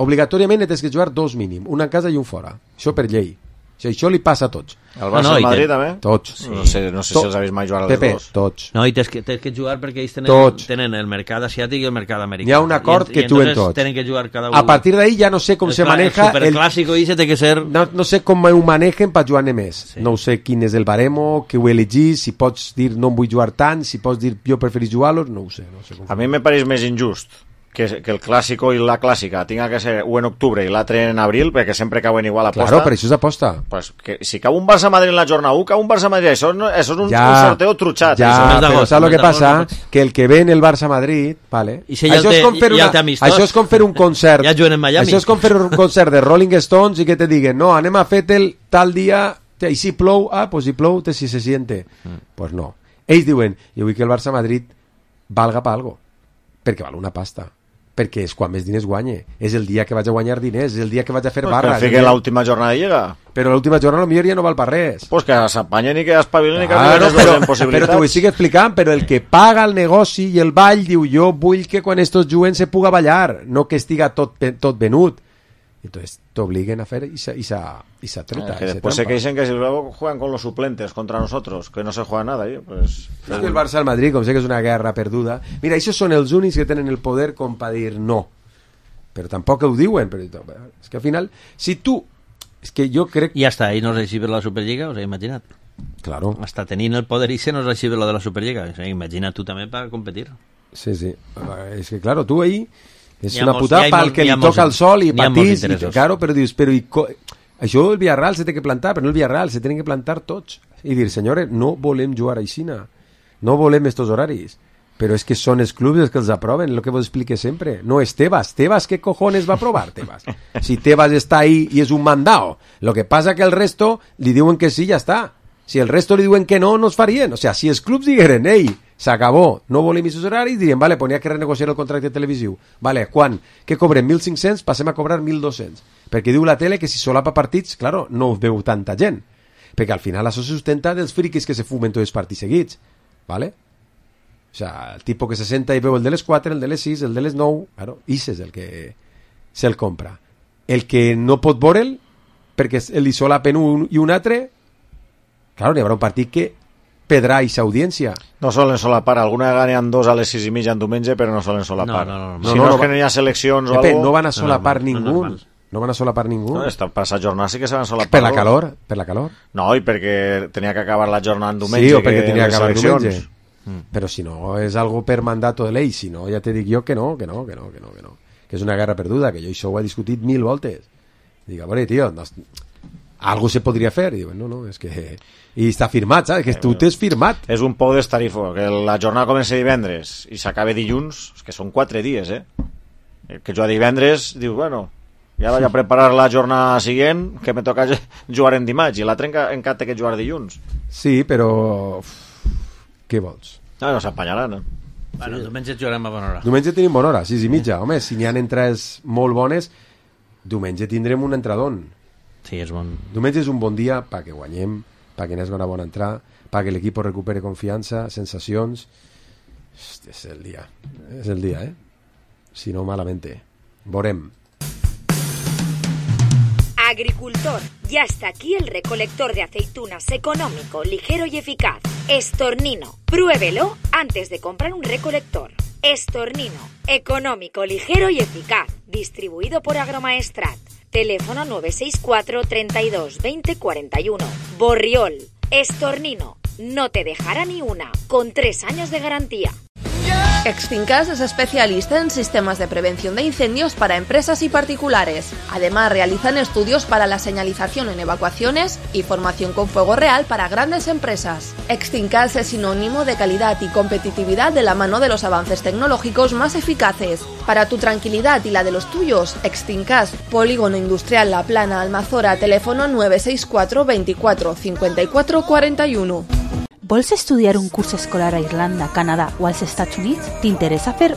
Obligatòriament tens que jugar dos mínim, una en casa i un fora. Això per llei. Això, això li passa a tots. El Barça i el Madrid també? Tots. Sí. No sé, no sé si els habéis mai jugat a les Pepe, dos. Tots. No, i tens que, tens que jugar perquè ells tenen, tenen el mercat asiàtic i el mercat americà. Hi ha un acord I, que i tu en tots. Tenen que jugar cada un. A partir d'ahí ja no sé com el se maneja... El superclàssico i se té que ser... No, no sé com ho manejen per jugar més. Sí. No sé quin és el baremo, que ho elegís, si pots dir no em vull jugar tant, si pots dir jo preferís jugar-los, no ho sé. No sé com a mi me pareix més injust que, que el clàssico i la clàssica tinga que ser un en octubre i l'altre en abril, perquè sempre cauen igual a posta. Claro, per això és aposta. Pues que, si cau un Barça-Madrid en la jornada u, cau un Barça-Madrid, això, no, això és un, ja, un sorteo trutxat. Ja, però saps el que passa? Que el que ve en el Barça-Madrid, vale? I si ja això, té, és com fer una, ja això és com fer un concert. Ja juguen en Miami. Això és com fer un concert de Rolling Stones i que te diguen, no, anem a fer-te'l tal dia, i si plou, ah, pues si plou, te si se siente. Mm. Pues no. Ells diuen, jo vull que el Barça-Madrid valga pa algo, perquè val una pasta. Perquè és quan més diners guanye. És el dia que vaig a guanyar diners, és el dia que vaig a fer pues barra. Per fer que l'última jornada llega. Però l'última jornada potser ja no val per res. Pues que s'apanyen i que espavilen i que claro, no però, possibilitats. Però t'ho estic explicant, però el que paga el negoci i el ball diu jo vull que quan estos juguen se puga ballar, no que estiga tot, tot venut. Entonces t'obliguen a fer esa, esa, esa treta. Eh, que después se queixen que si luego juegan con los suplentes contra nosotros, que no se juega nada. ¿eh? Pues, es que el Barça al Madrid, com sé que és una guerra perduda, mira, aquests són els únics que tenen el poder com per dir no. Però tampoc ho diuen. Però, és que al final, si tu... És que jo crec... I hasta ahí no recibe la Superliga, o sea, imagina't. Claro. Hasta tenint el poder y se no recibe lo de la Superliga. O sea, imagina tú también para competir. Sí, sí. És que, claro, tu ahí... És una putada pel que li toca el sol i patís, i, claro, però dius, però i co... això el Villarreal se té que plantar, però no el Villarreal, se tenen que plantar tots i dir, senyores, no volem jugar aixina, no volem estos horaris, però és que són els clubs els que els aproven, el que vos explique sempre, no és Tebas, Tebas què cojones va aprovar Tebas? Si Tebas està ahí i és un mandao, lo que passa que el resto li diuen que sí, ja està, si el resto li diuen que no, no es farien, o sea, si els clubs digueren, ei, s'acabó, no volem aquests horaris, dirien, vale, pues n'hi ha que renegociar el contracte televisiu. Vale, quan? Que cobrem mil cinc-cents, passem a cobrar mil dos-cents. Perquè diu la tele que si solapa partits, claro, no ho veu tanta gent. Perquè al final això se sustenta dels friquis que se fumen tots els partits seguits. Vale? O sea, el tipus que se senta i veu el de les quatre, el de les sis, el de les nou, claro, ix és el que se'l compra. El que no pot veure'l, perquè li solapen un i un altre, claro, n'hi haurà un partit que pedrà aquesta audiència. No solen solapar, alguna vegada n'hi dos a les sis i mitja en diumenge, però no solen solapar. No, no, no, no. Si no, no, no és que no hi ha seleccions o alguna cosa... No van a solapar no, no, ningú. No, no, no van a solapar ningú. No, esta passada jornada sí que se van solapar. Per la calor, per la calor. No, i perquè tenia que acabar la jornada en diumenge. Sí, o perquè tenia que acabar diumenge. Mm. Però si no, és algo per mandato de ley, si no, ja te dic jo que no, que no, que no, que no, que no. Que és una guerra perduda, que jo això ho he discutit mil voltes. Dic, a veure, tio, no, algo se podria fer. I diuen, no, no, és que... I està firmat, saps? Que tu t'has firmat. És un pou d'estarifo, que la jornada comença divendres i s'acaba dilluns, que són quatre dies, eh? El que juga divendres, diu, bueno, ja vaig a preparar la jornada següent, que me toca jugar en dimarts, i l'altre encara té que jugar dilluns. Sí, però... Què vols? No, no s'empanyaran, eh? Bueno, diumenge jugarem a bona hora. Diumenge tenim bona hora, sis i mitja. Home, si n'hi ha entrades molt bones, diumenge tindrem un entradón. Sí, és bon. Diumenge és un bon dia perquè guanyem, perquè n'hi hagi una bona entrada, perquè l'equip recupere confiança, sensacions. Hosti, és el dia. És el dia, eh? Si no, malamente. Veurem. Agricultor, ya está aquí el recolector de aceitunas económico, ligero y eficaz. Estornino. Pruébelo antes de comprar un recolector. Estornino. Económico, ligero y eficaz. Distribuido por Agromaestrat. Teléfono nueve seis cuatro, treinta y dos, veinte, cuarenta y uno. Borriol, Estornino. No te dejará ni una, con tres años de garantía. Extincas es especialista en sistemas de prevención de incendios para empresas y particulares. Además, realizan estudios para la señalización en evacuaciones y formación con fuego real para grandes empresas. Extincas es sinónimo de calidad y competitividad de la mano de los avances tecnológicos más eficaces. Para tu tranquilidad y la de los tuyos, Extincas, Polígono Industrial La Plana, Almazora, teléfono nueve seis cuatro, veinticuatro, cincuenta y cuatro, cuarenta y uno. Vols estudiar un curs escolar a Irlanda, Canadà o als Estats Units? T'interessa fer